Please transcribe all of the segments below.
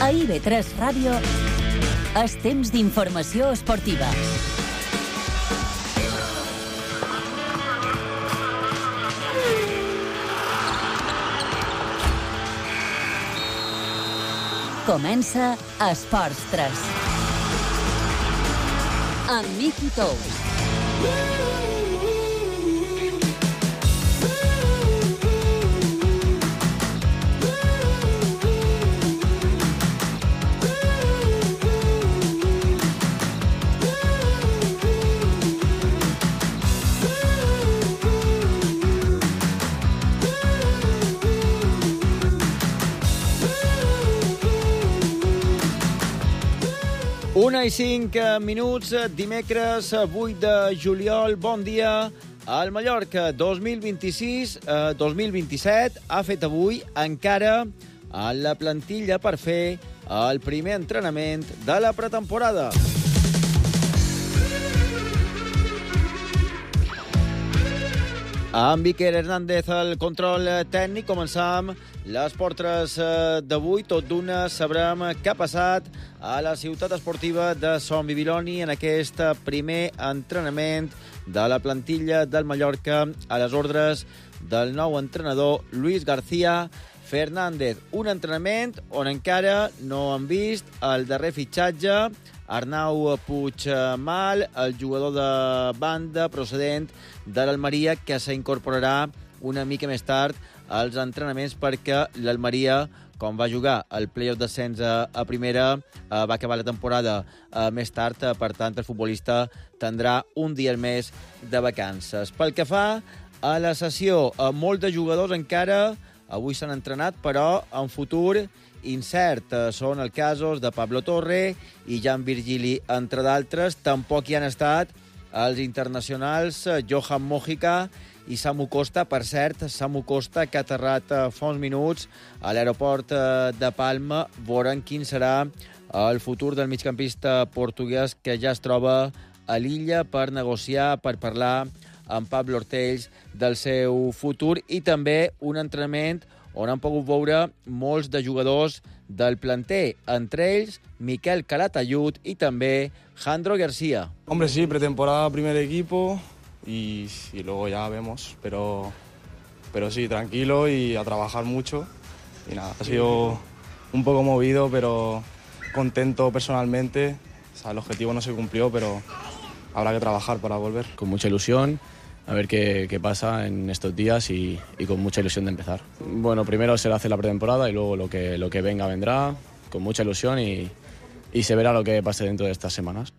A IB3 Ràdio és temps d'informació esportiva. Comença Esports 3. Amb Miqui Tous. Una i 5 minuts, dimecres 8 de juliol. Bon dia. El Mallorca 2026-2027 ha fet avui encara la plantilla per fer el primer entrenament de la pretemporada. Amb Iker Hernández al control tècnic, començam l'Esport 3 d'avui. Tot d'una sabrem què ha passat a la ciutat esportiva de Son Bibiloni en aquest primer entrenament de la plantilla del Mallorca a les ordres del nou entrenador Luis García Fernández. Un entrenament on encara no han vist el darrer fitxatge, Arnau Puigmal, el jugador de banda procedent de l'Almeria, que s'incorporarà una mica més tard als entrenaments perquè l'Almeria, com va jugar el play-off d'ascens a primera, va acabar la temporada més tard, per tant el futbolista tindrà un dia més de vacances. Pel que fa a la sessió, molts de jugadors encara avui s'han entrenat, però en futur incert. Són els casos de Pablo Torre i Jan Virgili, entre d'altres. Tampoc hi han estat els internacionals Johan Mojica i Samu Costa. Per cert, Samu Costa, que ha aterrat fa uns minuts a l'aeroport de Palma. Veurem quin serà el futur del migcampista portuguès, que ja es troba a l'illa per negociar, per parlar amb Pablo Ortells del seu futur, i també un entrenament on han pogut veure molts de jugadors del planter, entre ells Miquel Calatayud i també Jandro García. Hombre, sí, pretemporada, primer equipo y luego ya vemos, pero sí, tranquilo y a trabajar mucho. Y nada, ha sido un poco movido, pero contento personalmente. O sea, el objetivo no se cumplió, pero habrá que trabajar para volver. Con mucha ilusión, a ver qué pasa en estos días y con mucha ilusión de empezar. Bueno, primero se hace la pretemporada y luego lo que venga vendrá, con mucha ilusión y se verá lo que pase dentro de estas semanas.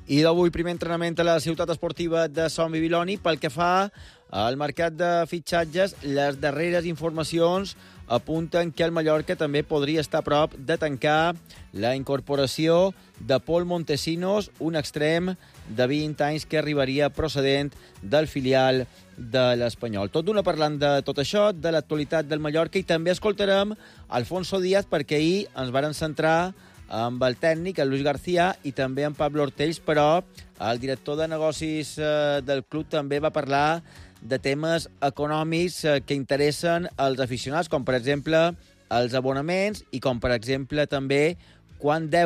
I d'avui primer entrenament a la ciutat esportiva de Son Bibiloni. Pel que fa al mercat de fitxatges, les darreres informacions apunten que el Mallorca també podria estar a prop de tancar la incorporació de Pol Montesinos, un extrem de 20 anys que arribaria procedent del filial de l'Espanyol. Tot d'una parlant de tot això, de l'actualitat del Mallorca, i també escoltarem Alfonso Díaz, perquè ahir ens varen centrar amb el tècnic, el Luis García, i també amb Pablo Ortells, però el director de negocis del club també va parlar de temes econòmics que interessen als aficionats, com per exemple els abonaments i com per exemple també quant de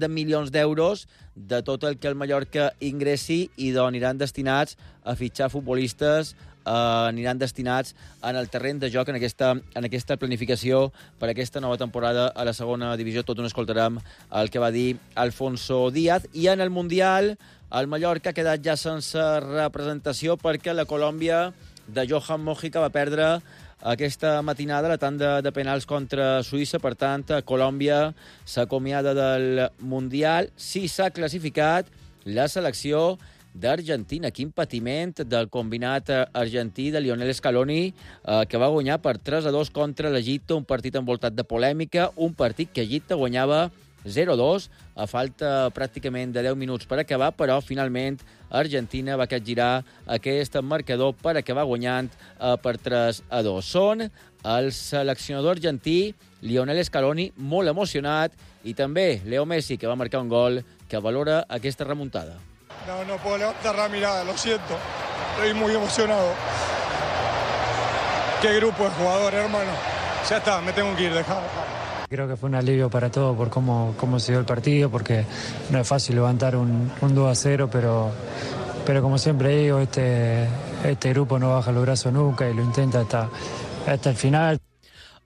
milions d'euros de tot el que el Mallorca ingressi i d'on aniran destinats a fitxar futbolistes, aniran destinats en el terreny de joc en aquesta planificació per aquesta nova temporada a la segona divisió. Tot un escoltarem el que va dir Alfonso Díaz. I en el Mundial, el Mallorca ha quedat ja sense representació perquè la Colòmbia de Johan Mojica va perdre aquesta matinada la tanda de penals contra Suïssa. Per tant, Colòmbia s'acomiada del Mundial. Sí s'ha classificat la selecció d'Argentina. Quin patiment del combinat argentí de Lionel Scaloni, que va guanyar per 3-2 contra l'Egipte, un partit envoltat de polèmica, un partit que Egipte guanyava 0-2 a falta pràcticament de 10 minuts per acabar, però finalment Argentina va capgirar aquest marcador per acabar guanyant per 3-2. Són el seleccionador argentí Lionel Scaloni molt emocionat i també Leo Messi, que va marcar un gol que valora aquesta remuntada. No puedo levantar la mirada, lo siento. Estoy muy emocionado. Qué grupo de jugadores, hermano. Ya está, me tengo que ir, dejá. Creo que fue un alivio para todos por cómo se dio el partido, porque no es fácil levantar un 2-0, pero como siempre digo, este grupo no baja los brazos nunca y lo intenta hasta el final.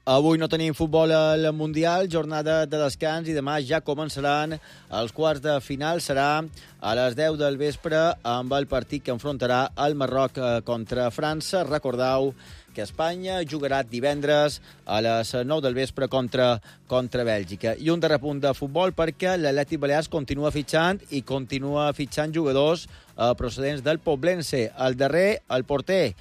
Avui no tenim futbol al Mundial, jornada de descans, i demà ja començaran els quarts de final. Serà a les 10 del vespre amb el partit que enfrontarà el Marroc contra França. Recordeu que Espanya jugarà divendres a les 9 del vespre contra Bèlgica. I un darrer punt de futbol, perquè l'Atlètic Balears continua fitxant jugadors procedents del Poblense. El darrer, el porter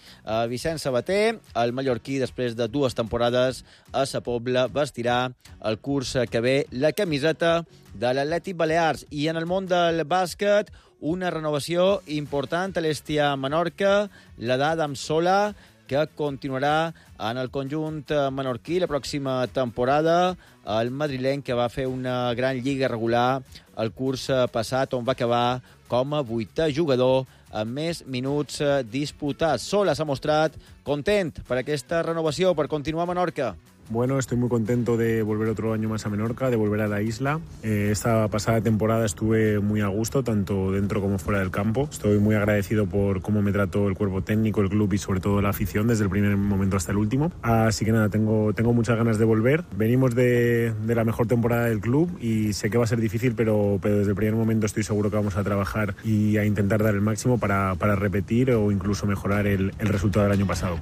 Vicent Sabater, el mallorquí, després de 2 temporades a Sa Pobla, vestirà el curs que ve la camiseta de l'Atlètic Balears. I en el món del bàsquet, una renovació important a l'Estia Menorca, la d'Adam Sola, que continuarà en el conjunt menorquí la pròxima temporada. El madrileny, que va fer una gran lliga regular el curs passat, on va acabar com a 8è jugador amb més minuts disputats. Sola s'ha mostrat content per aquesta renovació, per continuar a Menorca. Bueno, estoy muy contento de volver otro año más a Menorca, de volver a la isla. Esta pasada temporada estuve muy a gusto, tanto dentro como fuera del campo. Estoy muy agradecido por cómo me trató el cuerpo técnico, el club y sobre todo la afición desde el primer momento hasta el último. Así que nada, tengo muchas ganas de volver. Venimos de la mejor temporada del club y sé que va a ser difícil, pero desde el primer momento estoy seguro que vamos a trabajar y a intentar dar el máximo para repetir o incluso mejorar el resultado del año pasado.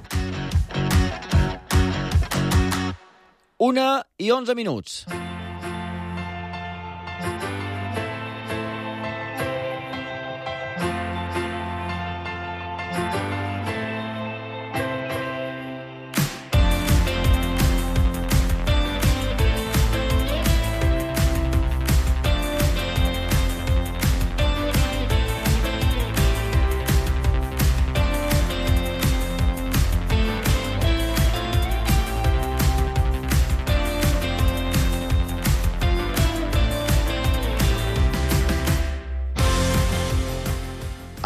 1:11.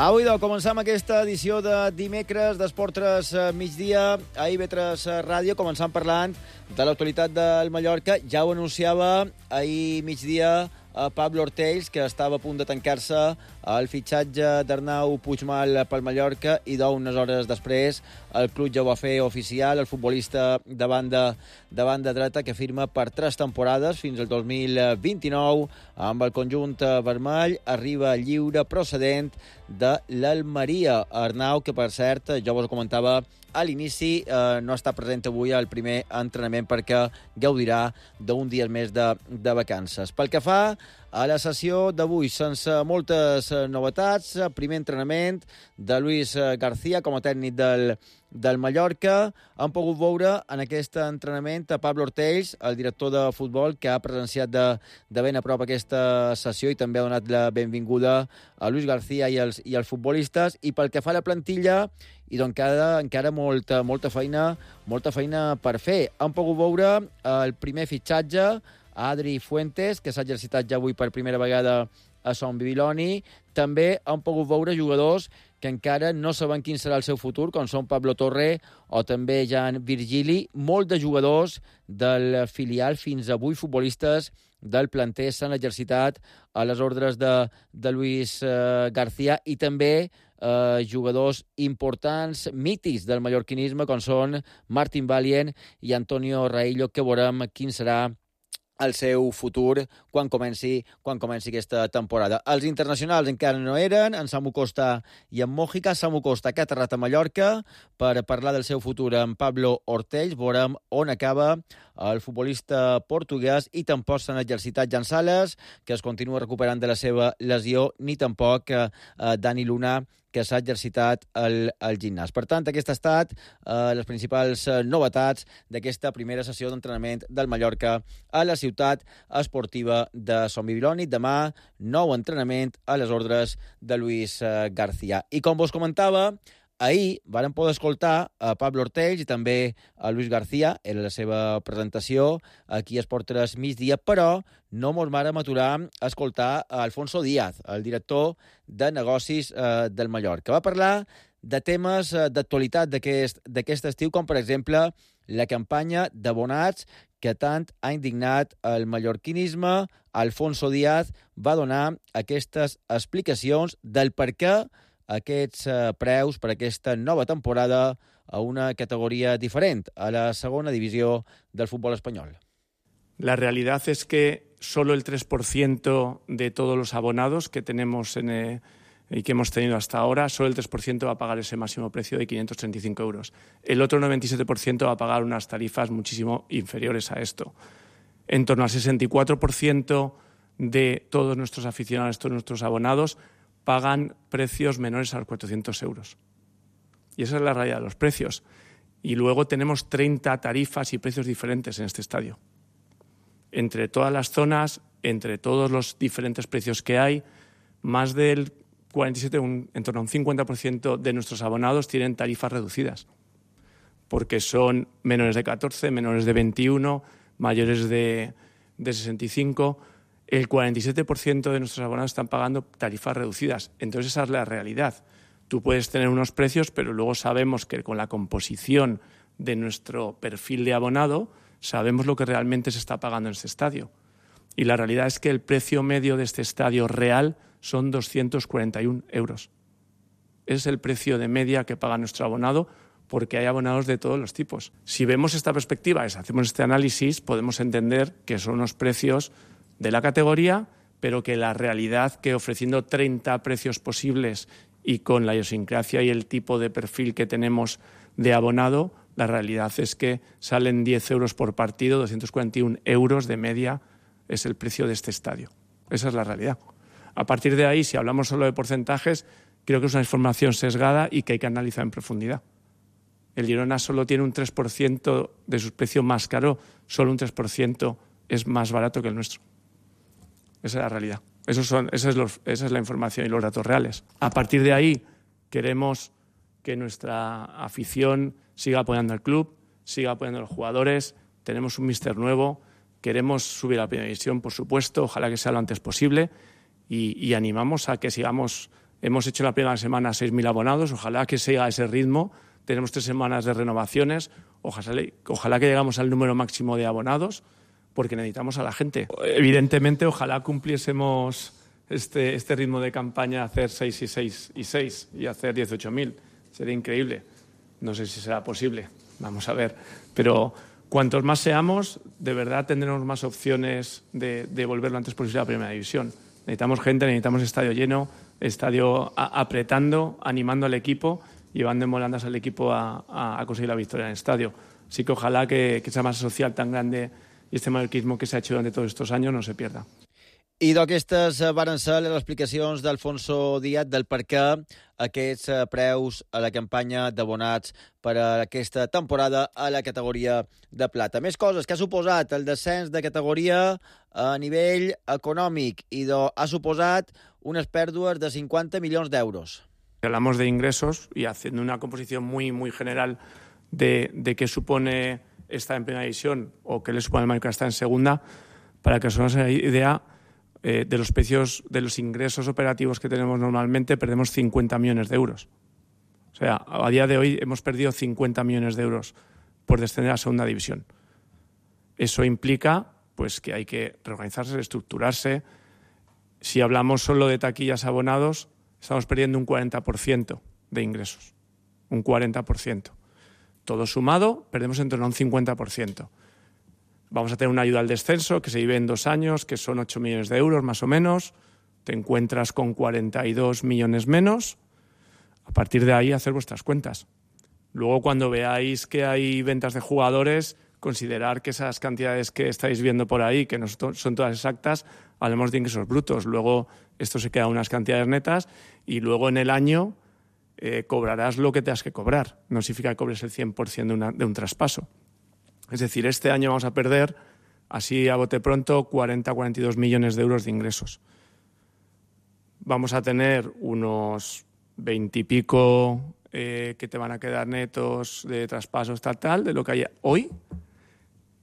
Avui començam aquesta edició de dimecres d'Esport3 migdia a IB3 Ràdio, començant parlant de l'actualitat del Mallorca. Ja ho anunciava ahir migdia Pablo Ortells, que estava a punt de tancar-se el fitxatge d'Arnau Puigmal pel Mallorca, i d'unes hores després el club ja ho va fer oficial. El futbolista de banda dreta, que firma per 3 temporades fins al 2029 amb el conjunt vermell, arriba lliure procedent de l'Almeria. Arnau, que per cert, jo vos ho comentava a l'inici, no està present avui al primer entrenament perquè gaudirà d'un dia més de vacances. Pel que fa a la sessió d'avui, sense moltes novetats, primer entrenament de Luis García com a tècnic del Mallorca. Han pogut veure en aquest entrenament a Pablo Ortells, el director de futbol, que ha presenciat de ben a prop aquesta sessió i també ha donat la benvinguda a Luis García i als futbolistes. I pel que fa a la plantilla, i doncs encara molta feina per fer. Han pogut veure el primer fitxatge, Adri Fuentes, que s'ha exercitat ja avui per primera vegada a Son Bibiloni. També han pogut veure jugadors que encara no saben quin serà el seu futur, com són Pablo Torre o també Jan Virgili. Molts de jugadors del filial, fins a 8 futbolistes del planter, s'han exercitat a les ordres de Luis García, i també jugadors importants, mítics del mallorquinisme, com són Martín Valient i Antonio Raillo, que veurem quin serà el seu futur quan comenci aquesta temporada. Els internacionals encara no eren, en Samu Costa i en Mójica. Samu Costa, que ha aterrat a Mallorca per parlar del seu futur amb Pablo Ortells. Veurem on acaba el futbolista portuguès, i tampoc s'han exercitat Jan Sales, que es continua recuperant de la seva lesió, ni tampoc Dani Luna, que s'ha exercitat al gimnàs. Per tant, aquestes han estat les principals novetats d'aquesta primera sessió d'entrenament del Mallorca a la ciutat esportiva de Son Bibiloni. Demà, nou entrenament a les ordres de Luis García. I com vos comentava, ahir vàrem poder escoltar a Pablo Ortells i també a Luis García, era la seva presentació aquí a Esport3 migdia, però no mos vàrem aturar a escoltar a Alfonso Díaz, el director de negocis del Mallorca. Va parlar de temes d'actualitat d'aquest estiu, com per exemple la campanya d'abonats que tant ha indignat el mallorquinisme. Alfonso Díaz va donar aquestes explicacions del per què aquests preus per aquesta nova temporada a una categoría diferente, a la segunda división del fútbol español. La realidad es que solo el 3% de todos los abonados que tenemos y que hemos tenido hasta ahora, solo el 3% va a pagar ese máximo precio de 535 euros. El otro 97% va a pagar unas tarifas muchísimo inferiores a esto. En torno al 64% de todos nuestros aficionados, todos nuestros abonados, pagan precios menores a los 400 euros. Y esa es la realidad de los precios. Y luego tenemos 30 tarifas y precios diferentes en este estadio. Entre todas las zonas, entre todos los diferentes precios que hay, más del 47, en torno a un 50% de nuestros abonados tienen tarifas reducidas, porque son menores de 14, menores de 21, mayores de 65. El 47% de nuestros abonados están pagando tarifas reducidas. Entonces esa es la realidad. Tú puedes tener unos precios, pero luego sabemos que con la composición de nuestro perfil de abonado sabemos lo que realmente se está pagando en este estadio. Y la realidad es que el precio medio de este estadio real son 241 euros. Ese es el precio de media que paga nuestro abonado, porque hay abonados de todos los tipos. Si vemos esta perspectiva, hacemos este análisis, podemos entender que son unos precios de la categoría, pero que la realidad que ofreciendo 30 precios posibles y con la idiosincrasia y el tipo de perfil que tenemos de abonado, la realidad es que salen 10 euros por partido, 241 euros de media es el precio de este estadio. Esa es la realidad. A partir de ahí, si hablamos solo de porcentajes, creo que es una información sesgada y que hay que analizar en profundidad. El Girona solo tiene un 3% de su precio más caro, solo un 3% es más barato que el nuestro. Esa es la realidad. Esa es la información y los datos reales. A partir de ahí, queremos que nuestra afición siga apoyando al club, siga apoyando a los jugadores. Tenemos un míster nuevo, queremos subir a la primera división, por supuesto, ojalá que sea lo antes posible, y animamos a que sigamos. Hemos hecho en la primera semana 6.000 abonados, ojalá que siga ese ritmo. Tenemos 3 semanas de renovaciones, ojalá que llegamos al número máximo de abonados, porque necesitamos a la gente. Evidentemente, ojalá cumpliésemos este ritmo de campaña, hacer 6 y 6 y 6 y hacer 18.000. Sería increíble. No sé si será posible, vamos a ver. Pero cuantos más seamos, de verdad tendremos más opciones de volver lo antes posible a la primera división. Necesitamos gente, necesitamos estadio lleno, estadio apretando, animando al equipo, llevando en volandas al equipo a conseguir la victoria en el estadio. Así que ojalá que esa masa social tan grande i este mallorquisme que s'ha hecho durante todos estos años no se pierda. I d'aquestes varen ser les explicacions d'Alfonso Díaz del per què aquests preus a la campanya d'abonats per a aquesta temporada a la categoria de plata. Més coses que ha suposat el descens de categoria a nivell econòmic i ha suposat unes pèrdues de 50 milions d'euros. Hablamos de ingresos y haciendo una composición muy, muy general de qué supone estar en primera división o qué le supone al Mallorca estar en segunda, para que os hagáis una idea de los precios, de los ingresos operativos que tenemos normalmente, perdemos 50 millones de euros. O sea, a día de hoy hemos perdido 50 millones de euros por descender a segunda división. Eso implica pues que hay que reorganizarse, reestructurarse. Si hablamos solo de taquillas abonados, estamos perdiendo un 40% de ingresos. Un 40%. Todo sumado, perdemos en torno a un 50%. Vamos a tener una ayuda al descenso que se vive en 2 años, que son 8 millones de euros más o menos. Te encuentras con 42 millones menos. A partir de ahí, hacer vuestras cuentas. Luego, cuando veáis que hay ventas de jugadores, considerar que esas cantidades que estáis viendo por ahí, que no son todas exactas, hablemos de ingresos brutos. Luego, esto se queda unas cantidades netas y luego en el año cobrarás lo que tengas que cobrar. No significa que cobres el 100% de un traspaso. Es decir, este año vamos a perder, así a bote pronto, 40-42 millones de euros de ingresos. Vamos a tener unos 20 y pico que te van a quedar netos de traspasos tal, de lo que hay hoy.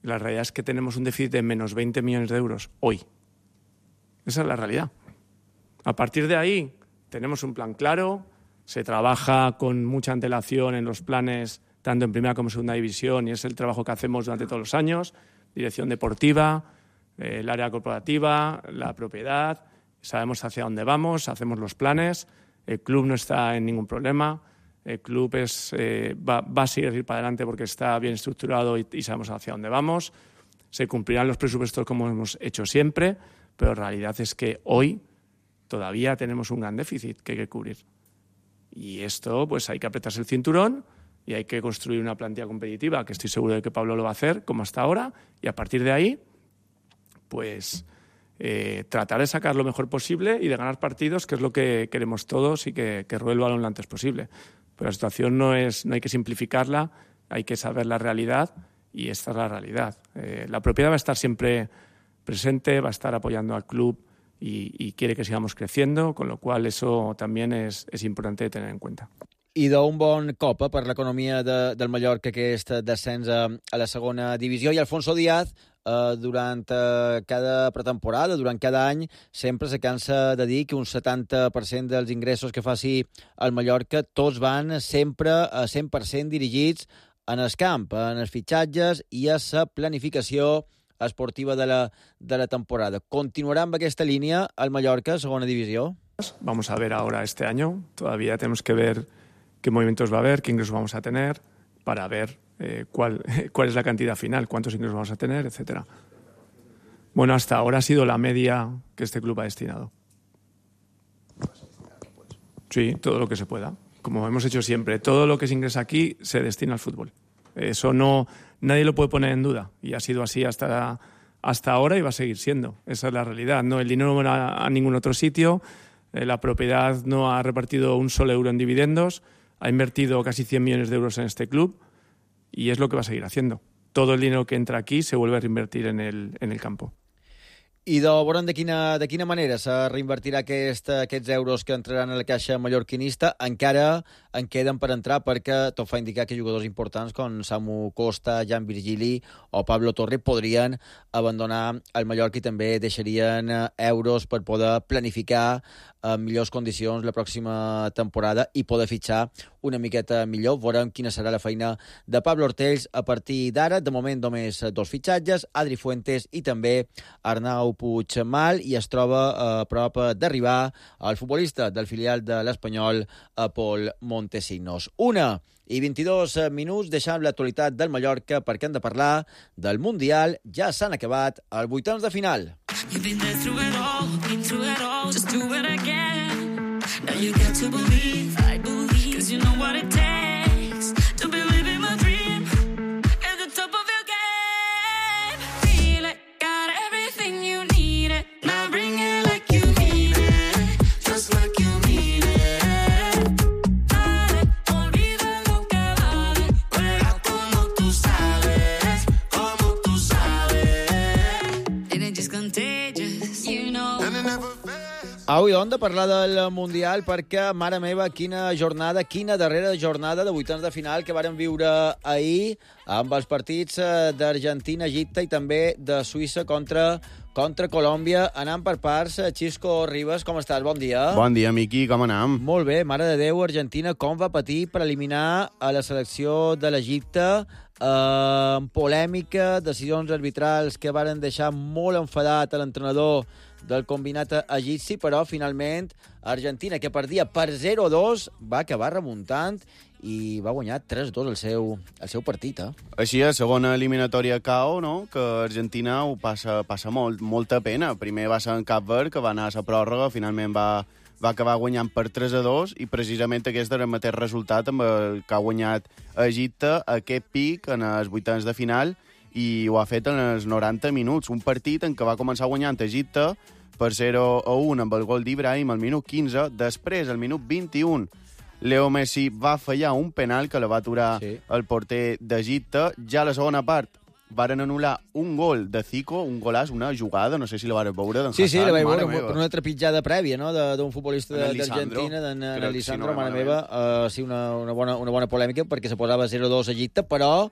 La realidad es que tenemos un déficit de menos 20 millones de euros hoy. Esa es la realidad. A partir de ahí tenemos un plan claro, Se trabaja con mucha antelación en los planes, tanto en primera como en segunda división, y es el trabajo que hacemos durante todos los años. Dirección deportiva, el área corporativa, la propiedad. Sabemos hacia dónde vamos, hacemos los planes. El club no está en ningún problema. El club va a seguir para adelante porque está bien estructurado y sabemos hacia dónde vamos. Se cumplirán los presupuestos como hemos hecho siempre, pero la realidad es que hoy todavía tenemos un gran déficit que hay que cubrir. Y esto, pues hay que apretarse el cinturón y hay que construir una plantilla competitiva, que estoy seguro de que Pablo lo va a hacer, como hasta ahora, y a partir de ahí, pues tratar de sacar lo mejor posible y de ganar partidos, que es lo que queremos todos, y que ruede el balón lo antes posible. Pero la situación no hay que simplificarla, hay que saber la realidad, y esta es la realidad. La propiedad va a estar siempre presente, va a estar apoyando al club y quiere que sigamos creciendo, con lo cual eso también es importante de tener en cuenta. I d'un bon cop per l'economia del Mallorca, aquest descens a la segona divisió. I Alfonso Díaz, durant cada pretemporada, durant cada any, sempre se cansa de dir que un 70% dels ingressos que faci el Mallorca tots van sempre a 100% dirigits en el camp, en els fitxatges i a la planificació esportiva de la temporada. ¿Continuará amb aquesta línia el Mallorca, segona divisió? Vamos a ver ahora este año. Todavía tenemos que ver qué movimientos va a haber, qué ingresos vamos a tener, para ver cuál es la cantidad final, cuántos ingresos vamos a tener, etcétera. Bueno, hasta ahora ha sido la media que este club ha destinado. Sí, todo lo que se pueda. Como hemos hecho siempre, todo lo que se ingresa aquí se destina al fútbol. Eso nadie lo puede poner en duda, y ha sido así hasta ahora y va a seguir siendo. Esa es la realidad. No, el dinero no va a ningún otro sitio, la propiedad no ha repartido un solo euro en dividendos, ha invertido casi 100 millones de euros en este club y es lo que va a seguir haciendo. Todo el dinero que entra aquí se vuelve a reinvertir en el campo. I veurem de quina manera se reinvertirà aquests euros que entraran a la caixa mallorquinista. Encara en queden per entrar, perquè tot fa indicar que jugadors importants com Samu Costa, Jan Virgili o Pablo Torre podrien abandonar el Mallorca i també deixarien euros per poder planificar en millors condicions la pròxima temporada i poder fitxar una miqueta millor. Veurem quina serà la feina de Pablo Ortells a partir d'ara. De moment només 2 fitxatges, Adri Fuentes i també Arnau Puigmal, i es troba a prop d'arribar el futbolista del filial de l'Espanyol, Pol Montesinos. 1:22, deixant l'actualitat del Mallorca perquè hem de parlar del Mundial. Ja s'han acabat els vuitens de final. You've been there through it all, been through it all, just do it again. Now you got to believe, I believe, cause you know what it takes to be living my dream at the top of your game. Feel it, got everything you need it, now bring it like you mean it, just like you mean it. Dale, olvida lo que vale, juega como tú sabes, como tú sabes. And it just contagious, you know. Avui hem de parlar del Mundial perquè, mare meva, quina jornada, quina darrera jornada de vuitens de final que varen viure ahir amb els partits d'Argentina, Egipte i també de Suïssa contra Colòmbia. Anant per parts, Xisco Ribas, com estàs? Bon dia. Bon dia, Miqui, com anem? Molt bé, mare de Déu, Argentina, com va patir per eliminar a la selecció de l'Egipte, amb polèmica, decisions arbitrals que varen deixar molt enfadat a l'entrenador del combinat egipci, però finalment Argentina, que perdia per 0-2, va acabar remuntant i va guanyar 3-2 el seu partit. Així, a segona eliminatòria KO, no? Que Argentina ho passa molta pena. Primer va ser en Cap Verd, que va anar a la pròrroga, finalment va acabar guanyant per 3-2, i precisament aquest era el mateix resultat amb el que ha guanyat Egipte aquest pic en els vuitens de final, i ho ha fet en els 90 minuts. Un partit en què va començar guanyant Egipte per 0-1 amb el gol d'Ibrahim al minut 15. Després, al minut 21, Leo Messi va fallar un penal que la va aturar el porter d'Egipte. Ja a la segona part varen anul·lar un gol de Zico, un golaç, una jugada, no sé si la vareu veure, d'en Hazard. Sí, la vaig veure, per una trepitjada prèvia, no?, d'un futbolista d'Argentina, d'en Lisandro, mare meva. Sí, una bona polèmica, perquè se posava 0-2 a Egipte, però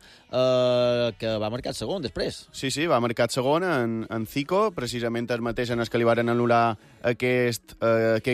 que va marcar el segon després. Sí, va marcar el segon en Zico, precisament el mateix en el que li varen anul·lar aquest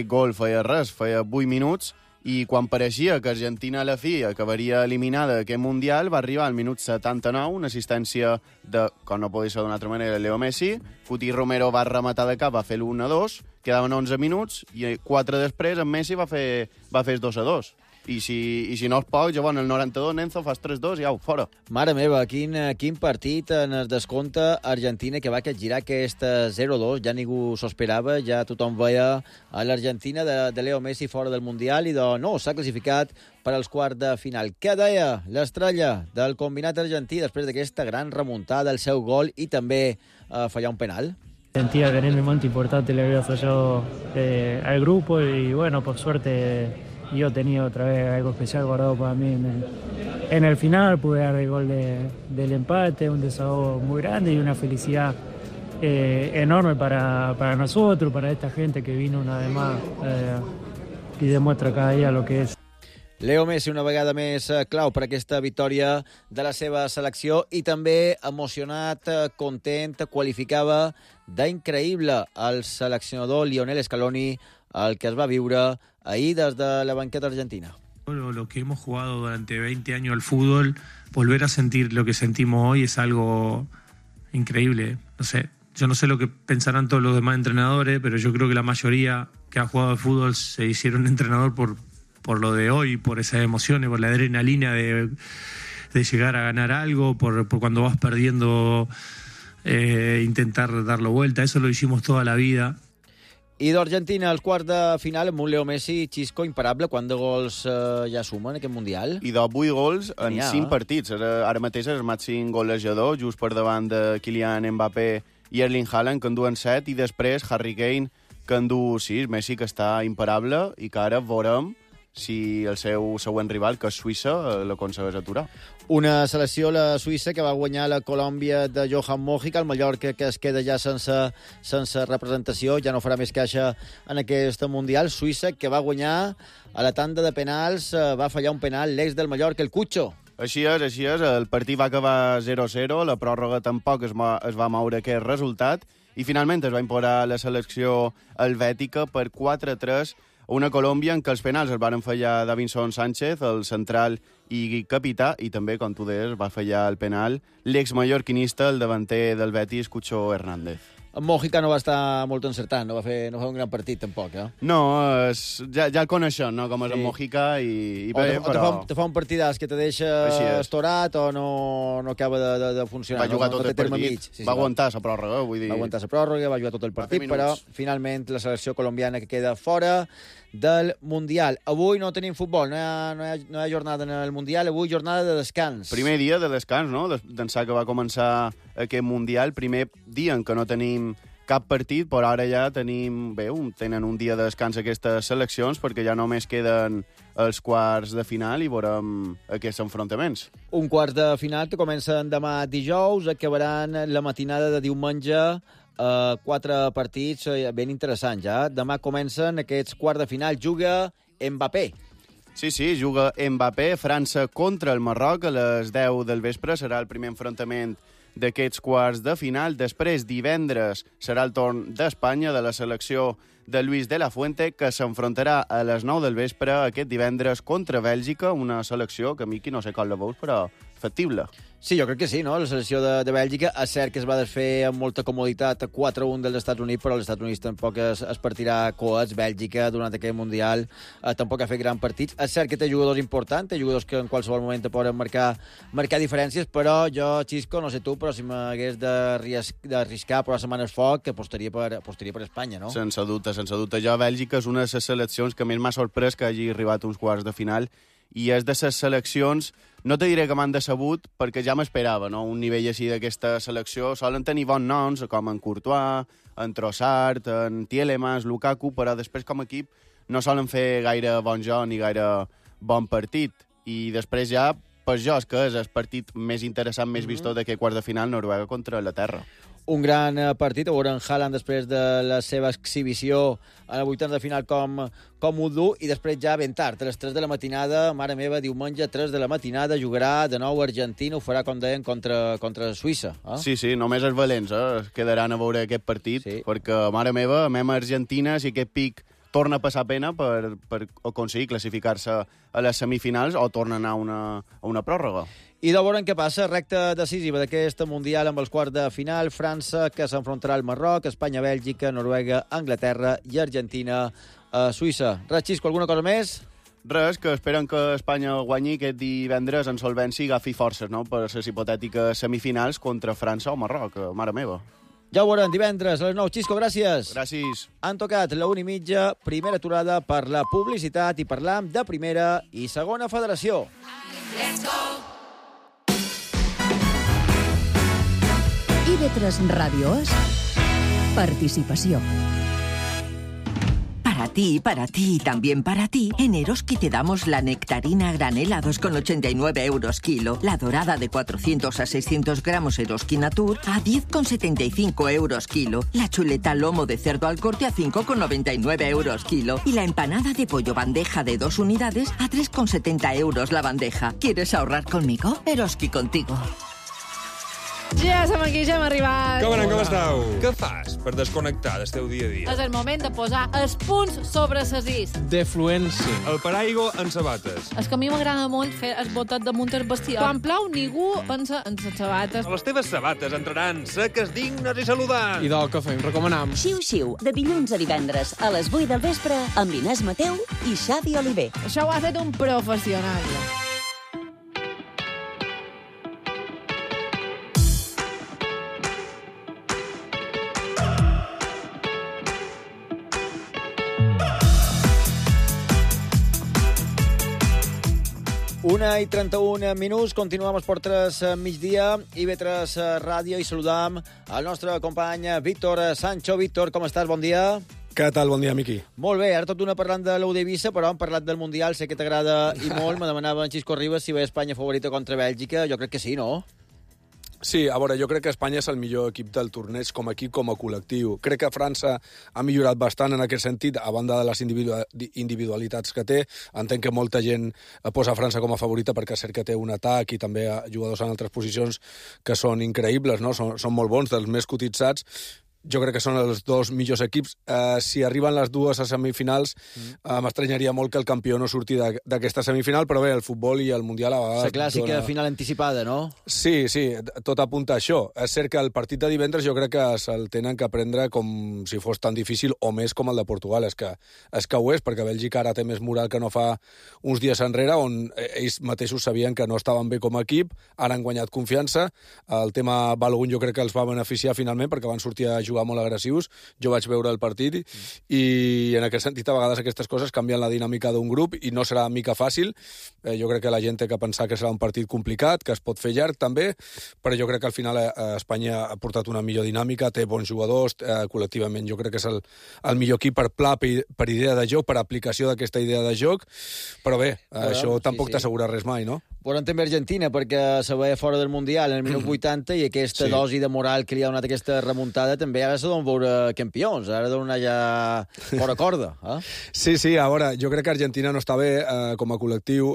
gol feia 8 minuts, i quan pareixia que Argentina a la fi acabaria eliminada d'aquest Mundial, va arribar al minut 79, una assistència de, com no podia ser d'una altra manera, Leo Messi. Cuti Romero va rematar de cap, va fer l'1-2, quedaven 11 minuts, i 4 després en Messi va fer el 2-2. I si no és poc, llavors el 92 Nenzo fas 3-2 i au, fora. Mare meva, quin partit en el descompte Argentina que va capgirar aquest 0-2, ja ningú s'ho esperava, ja tothom veia a l'Argentina de Leo Messi fora del Mundial i no, s'ha classificat per als quarts de final. Què deia l'estrella del combinat argentí després d'aquesta gran remuntada, el seu gol i també fallar un penal? Sentía que en el momento importante le había fallado al grupo y bueno, por suerte yo tenía otra vez algo especial guardado para mí en el final, pude dar el gol del empate, un desahogo muy grande y una felicidad enorme para nosotros, para esta gente que vino una vez más y demuestra cada día lo que es. Leo Messi una vegada més clau per aquesta victòria de la seva selecció i també emocionat, content, qualificava d'increïble el seleccionador Lionel Scaloni el que es va viure ahir des de la banqueta argentina. Lo que hemos jugado durante 20 años al fútbol, volver a sentir lo que sentimos hoy es algo increíble. No sé, yo no sé lo que pensarán todos los demás entrenadores, pero yo creo que la mayoría que ha jugado al fútbol se hicieron entrenador por lo de hoy, por esas emociones, por la adrenalina de llegar a ganar algo, por cuando vas perdiendo intentar darlo vuelta. Eso lo hicimos toda la vida. I d'Argentina, als quarts de final, amb un Leo Messi, Xisco, imparable. Quant de gols ja suma en aquest Mundial? I de 8 gols en 5 partits. Ara mateix és el màxim golejador, just per davant de Kylian Mbappé i Erling Haaland, que en duen 7, i després Harry Kane, que en du 6. Messi, que està imparable, i que ara veurem si el seu següent rival, que és Suïssa, l'aconsegueix aturar. Una selecció, la Suïssa, que va guanyar la Colòmbia de Johan Mojica, el Mallorca, que es queda ja sense representació, ja no farà més caixa en aquest Mundial. Suïssa, que va guanyar a la tanda de penals, va fallar un penal l'ex del Mallorca, el Cucho. Així és. El partit va acabar 0-0, la pròrroga tampoc es va moure aquest resultat, i finalment es va imposar la selecció helvètica per 4-3, una Colòmbia en què els penals es van fallar Davinson Sánchez, el central i capità, i també, com tu deies, va fallar el penal l'ex-mallorquinista, el davanter del Betis, Cucho Hernández. En Mojica no va estar molt encertant, no va fer un gran partit, tampoc, eh? No, ja el coneixem, no?, com és en Mojica, te fa un partidàs que te deixa estorat o no acaba de funcionar. Va jugar tot el partit, va aguantar la pròrroga, vull dir. Va aguantar la pròrroga, va jugar tot el partit, però finalment la selecció colombiana que queda fora del Mundial. Avui no tenim futbol, no hi ha jornada en el Mundial, avui jornada de descans. Primer dia de descans, no?, d'ençà que va començar aquest Mundial, primer dia en què no tenim cap partit, però ara ja tenen un dia de descans aquestes seleccions, perquè ja només queden els quarts de final i veurem aquests enfrontaments. Un quarts de final que comencen demà dijous, acabaran la matinada de diumenge, 4 partits ben interessants, ja. Demà comencen aquests quarts de final. Juga Mbappé. Sí, juga Mbappé. França contra el Marroc a les 10 del vespre. Serà el primer enfrontament d'aquests quarts de final. Després, divendres, serà el torn d'Espanya, de la selecció de Luis de la Fuente, que s'enfrontarà a les 9 del vespre aquest divendres contra Bèlgica, una selecció que, Miqui, no sé com la veus, però factible. Sí, jo crec que sí, no? La selecció de Bèlgica, és cert que es va desfer amb molta comoditat 4-1 dels Estats Units, però els Estats Units tampoc es partirà coets. Bèlgica, durant aquest Mundial, tampoc ha fet grans partits. És cert que té jugadors importants, té jugadors que en qualsevol moment poden marcar diferències, però jo, Xisco, no sé tu, però si m'hagués d'arriscar per la setmana al foc, apostaria per Espanya, no? Sense dubte. Jo, Bèlgica és una de les seleccions que més m'ha sorprès que hagi arribat uns quarts de final, i és de les seleccions, no te diré que m'han decebut, perquè ja m'esperava, no?, un nivell així d'aquesta selecció. Solen tenir bons noms, com en Courtois, en Trossard, en Tielemans, Lukaku, però després com a equip no solen fer gaire bon joc ni gaire bon partit. I després ja, per jo, és que és el partit més interessant, més vistós d'aquest quart de final, Noruega contra Anglaterra. Un gran partit, a veure en Haaland després de la seva exhibició a la vuitena de final com ho du, i després ja ben tard, a les 3 de la matinada, mare meva, diumenge, 3 de la matinada, jugarà de nou Argentina, ho farà, com deien, contra Suïssa. Sí, només els valents quedaran a veure aquest partit, perquè, mare meva, mem a Argentina, si aquest pic torna a passar pena per aconseguir classificar-se a les semifinals o torna a anar a una pròrroga. I de veure què passa, recta decisiva d'aquesta Mundial amb els quarts de final, França, que s'enfrontarà al Marroc, Espanya, Bèlgica, Noruega, Anglaterra i Argentina a Suïssa. Res, Xisco, alguna cosa més? Res, que esperen que Espanya guanyi aquest divendres en solvència i agafi forces, no?, per les hipotètiques semifinals contra França o Marroc, mare meva. Ja ho veurem, divendres a les 9. Xisco, gràcies. Gràcies. Han tocat la 1:30, primera aturada per la publicitat i parlam de primera i segona federació. Let's go! IB3 Radio es participació. Para ti y también para ti, en Eroski te damos la nectarina a granel a 2,89 € kilo, la dorada de 400 a 600 gramos Eroski Natur a 10,75 € kilo, la chuleta lomo de cerdo al corte a 5,99 € kilo y la empanada de pollo bandeja de 2 unidades a 3,70 € la bandeja. ¿Quieres ahorrar conmigo? Eroski contigo. Ja som aquí, ja hem arribat. Com esteu? Què fas per desconnectar del teu dia a dia? És el moment de posar els punts sobre les is. Defluència. El paraigua en sabates. És que a mi m'agrada molt fer el botet damunt el bestiar. Quan plou, ningú pensa en les sabates. Les teves sabates entraran seques, dignes i saludants. I del que fem, recomanam. Xiu-xiu, de dilluns a divendres a les 8 del vespre amb l'Inés Mateu i Xavi Oliver. Això ho ha fet un professional. Una i 31 minuts, continuem els Portres migdia, IB3 Ràdio, i saludam el nostre company Víctor Sancho. Víctor, com estàs? Bon dia. Què tal? Bon dia, Miqui. Molt bé, ara tot d'una parlant de l'Eivissa, però hem parlat del Mundial, sé que t'agrada i molt. Me demanava en Xisco Ribas si ve Espanya favorita contra Bèlgica. Jo crec que sí, no? Sí, a veure, jo crec que Espanya és el millor equip del torneig com a equip, com a col·lectiu. Crec que França ha millorat bastant en aquest sentit, a banda de les individualitats que té. Entenc que molta gent posa França com a favorita perquè és cert que té un atac i també jugadors en altres posicions que són increïbles, no? Són molt bons, dels més cotitzats. Jo crec que són els dos millors equips. Si arriben les dues a semifinals, m'estranyaria molt que el campió no surti d'aquesta semifinal, però bé, el futbol i el Mundial a vegades... La clàssica final anticipada, no? Sí, tot apunta a això. És cert que el partit de divendres jo crec que se'l tenen que prendre com si fos tan difícil o més com el de Portugal. És que ho és, perquè Bèlgica ara té més moral que no fa uns dies enrere, on ells mateixos sabien que no estaven bé com a equip, ara han guanyat confiança. El tema Balogun jo crec que els va beneficiar finalment, perquè van sortir a jugar molt agressius. Jo vaig veure el partit i en aquest sentit a vegades aquestes coses canvien la dinàmica d'un grup i no serà mica fàcil. Jo crec que la gent té que pensar que serà un partit complicat, que es pot fer llarg també, però jo crec que al final Espanya ha portat una millor dinàmica, té bons jugadors, col·lectivament jo crec que és el millor equip per pla, per idea de joc, per aplicació d'aquesta idea de joc, però bé, això tampoc t'assegura res mai, no? Veurem també Argentina, perquè se veia fora del Mundial en el minut 80 i aquesta dosi de moral que li ha donat aquesta remuntada també ara se donen veure campions, ara donen ja fora corda. Sí, a veure, jo crec que Argentina no està bé com a col·lectiu.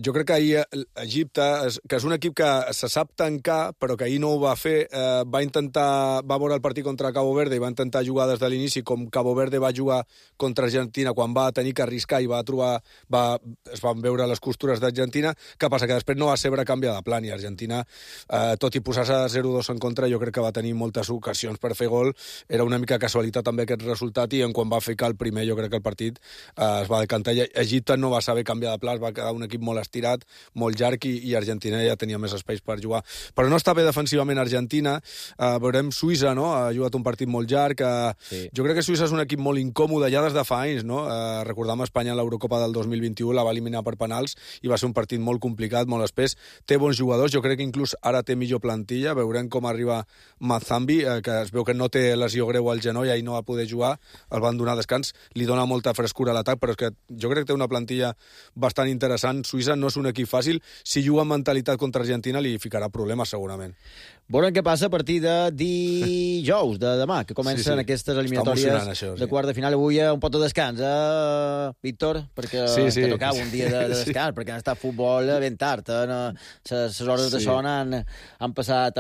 Jo crec que ahir Egipte, que és un equip que se sap tancar, però que ahir no ho va fer, va veure el partit contra Cabo Verde i va intentar jugar des de l'inici com Cabo Verde va jugar contra Argentina quan va tenir que arriscar i es van veure les costures d'Argentina. Què passa? Que després no va saber canviar de plan i Argentina, tot i posar-se 0-2 en contra, jo crec que va tenir moltes ocasions per fer gol. Era una mica casualitat també aquest resultat i quan va ficar el primer jo crec que el partit es va decantar. Egipte no va saber canviar de pla, va quedar un equip molt estirat, molt llarg i Argentina ja tenia més espais per jugar. Però no està bé defensivament Argentina. Veurem Suïssa, no? Ha jugat un partit molt llarg. Jo crec que Suïssa és un equip molt incòmode ja des de fa anys, no? Recordam Espanya en l'Eurocopa del 2021, la va eliminar per penals i va ser un partit molt complicat, molt espès. Té bons jugadors, jo crec que inclús ara té millor plantilla. Veurem com arriba Mazambi, que es veu que no té lesió greu al genoll i no va poder jugar, el van donar descans, li dona molta frescura a l'atac, però és que jo crec que té una plantilla bastant interessant. Suïssa no és un equip fàcil, si juga amb mentalitat contra Argentina li ficarà problemes segurament. Veurem què passa a partir de dijous, de demà, que comencen aquestes eliminatòries de quart de final. Avui un pot de descans, Víctor? Perquè te tocava un dia de descans, perquè han estat futbol ben tard. Les hores de son han passat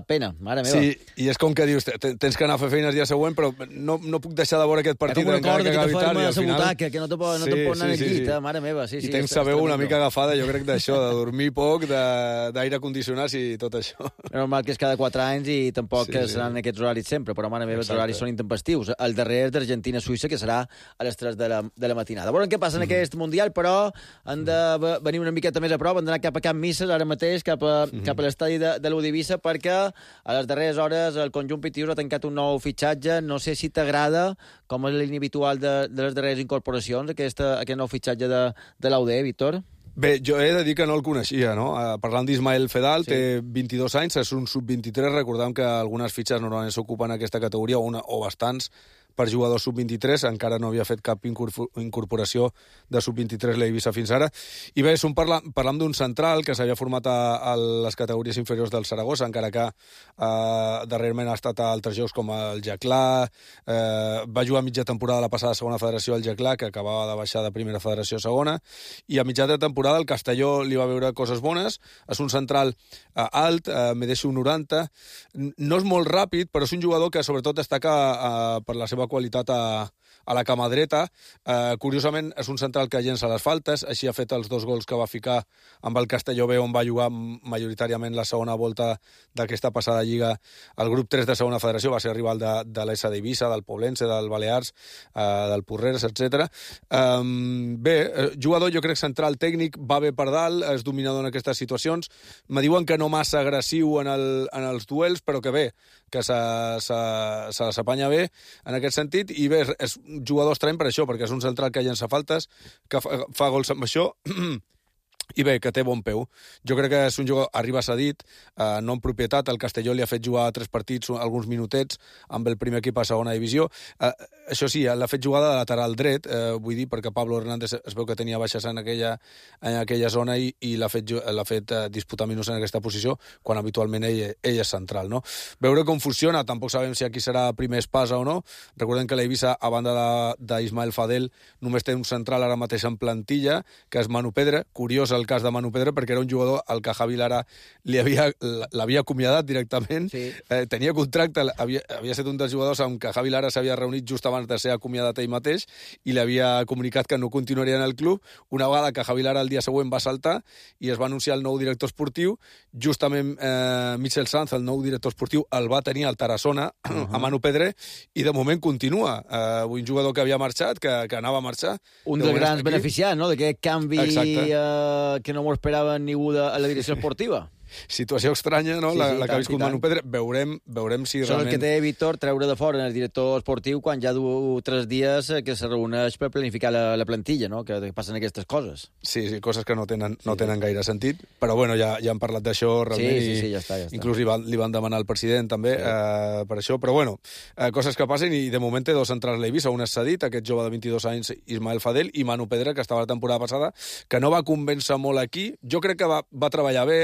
pena. Mare meva. Sí, i és com que dius, tens que anar a fer feines el dia següent, però no puc deixar de veure aquest partit encara que acabi tard. I al final... que no te pot anar al llit, mare meva. I tens la veu una mica agafada, jo crec, d'això, de dormir poc, d'aire condicionat i tot això. Normal que és cada 4 anys i tampoc seran aquests horaris sempre, però mare meva, els horaris són intempestius. El darrer és d'Argentina-Suïssa, que serà a les 3 de la matinada. Veurem què passa en aquest Mundial, però han de venir una miqueta més a prop, han d'anar cap a Can Misses, ara mateix, cap a l'estadi de l'Udivisa, perquè a les darreres hores el conjunt pitius ha tancat un nou fitxatge. No sé si t'agrada, com és la línia habitual de les darreres incorporacions, aquest nou fitxatge de l'UD, Víctor? Bé, jo he de dir que no el coneixia, no? Parlant d'Ismael Fedal, té 22 anys, és un sub-23, recordem que algunes fitxes normalment s'ocupen en aquesta categoria, o bastants, per jugadors sub-23, encara no havia fet cap incorporació de sub-23 l'Eivissa fins ara. I bé, parlam d'un central que s'havia format a les categories inferiors del Saragossa, encara que darrerament ha estat a altres jocs com el Jaclà, va jugar mitja temporada la passada segona federació al Jaclà, que acabava de baixar de primera federació a segona, i a mitjà de temporada el Castelló li va veure coses bones. És un central alt, medeix un 90, no és molt ràpid, però és un jugador que sobretot destaca per la seva qualitat a la cama dreta. Curiosament, és un central que llença les faltes, així ha fet els 2 gols que va ficar amb el Castelló B, on va jugar majoritàriament la segona volta d'aquesta passada lliga. El grup 3 de segona federació va ser rival de l'ESA d'Eivissa, del Poblense, del Balears, del Porreres, etc. Bé, jugador, jo crec, central tècnic, va bé per dalt, és dominador en aquestes situacions. Me diuen que no massa agressiu en els duels, però que bé, que se s'apanya bé en aquest sentit, i bé, és un jugador estrany per això, perquè és un central que llença faltes, que fa gols amb això, i bé, que té bon peu. Jo crec que és un jugador, arriba cedit, no en propietat. El Castelló li ha fet jugar 3 partits, alguns minutets, amb el primer equip a segona divisió. Això sí, l'ha fet jugar de lateral dret, vull dir, perquè Pablo Hernández es veu que tenia baixes en aquella zona i l'ha fet disputar minuts en aquesta posició, quan habitualment ell és central, no? Veure com funciona, tampoc sabem si aquí serà primer espasa o no. Recordem que l'Eivissa, a banda d'Ismael Fadel, només té un central ara mateix en plantilla, que és Manu Pedra. Curiós el cas de Manu Pedra, perquè era un jugador al que Javi Lara l'havia acomiadat directament. Sí. Tenia contracte, havia estat un dels jugadors amb què Javi Lara s'havia reunit just abans de ser acomiadat ell mateix i li havia comunicat que no continuaria en el club. Una vegada que Javi Lara el dia següent va saltar i es va anunciar el nou director esportiu, justament Michel Sanz, el nou director esportiu, el va tenir al Tarassona, a Manu Pedra, i de moment continua. Un jugador que havia marxat, que anava a marxar. Un dels grans beneficiats, no?, d'aquest canvi que no m'ho esperava ningú a la direcció esportiva. Situació estranya, no?, la que ha viscut Manu Pedra. Veurem si realment... El que té Víctor treure de fora el director esportiu quan ja du 3 dies que se reuneix per planificar la plantilla, no?, que passen aquestes coses. Sí, coses que no tenen gaire sentit, però bueno, ja han parlat d'això realment. Sí, ja està. Inclús li van demanar al president també per això, però bueno, coses que passen, i de moment té 2 centrals l'Eivissa, un és cedit, aquest jove de 22 anys, Ismael Fadel, i Manu Pedra, que estava la temporada passada, que no va convèncer molt aquí. Jo crec que va treballar bé,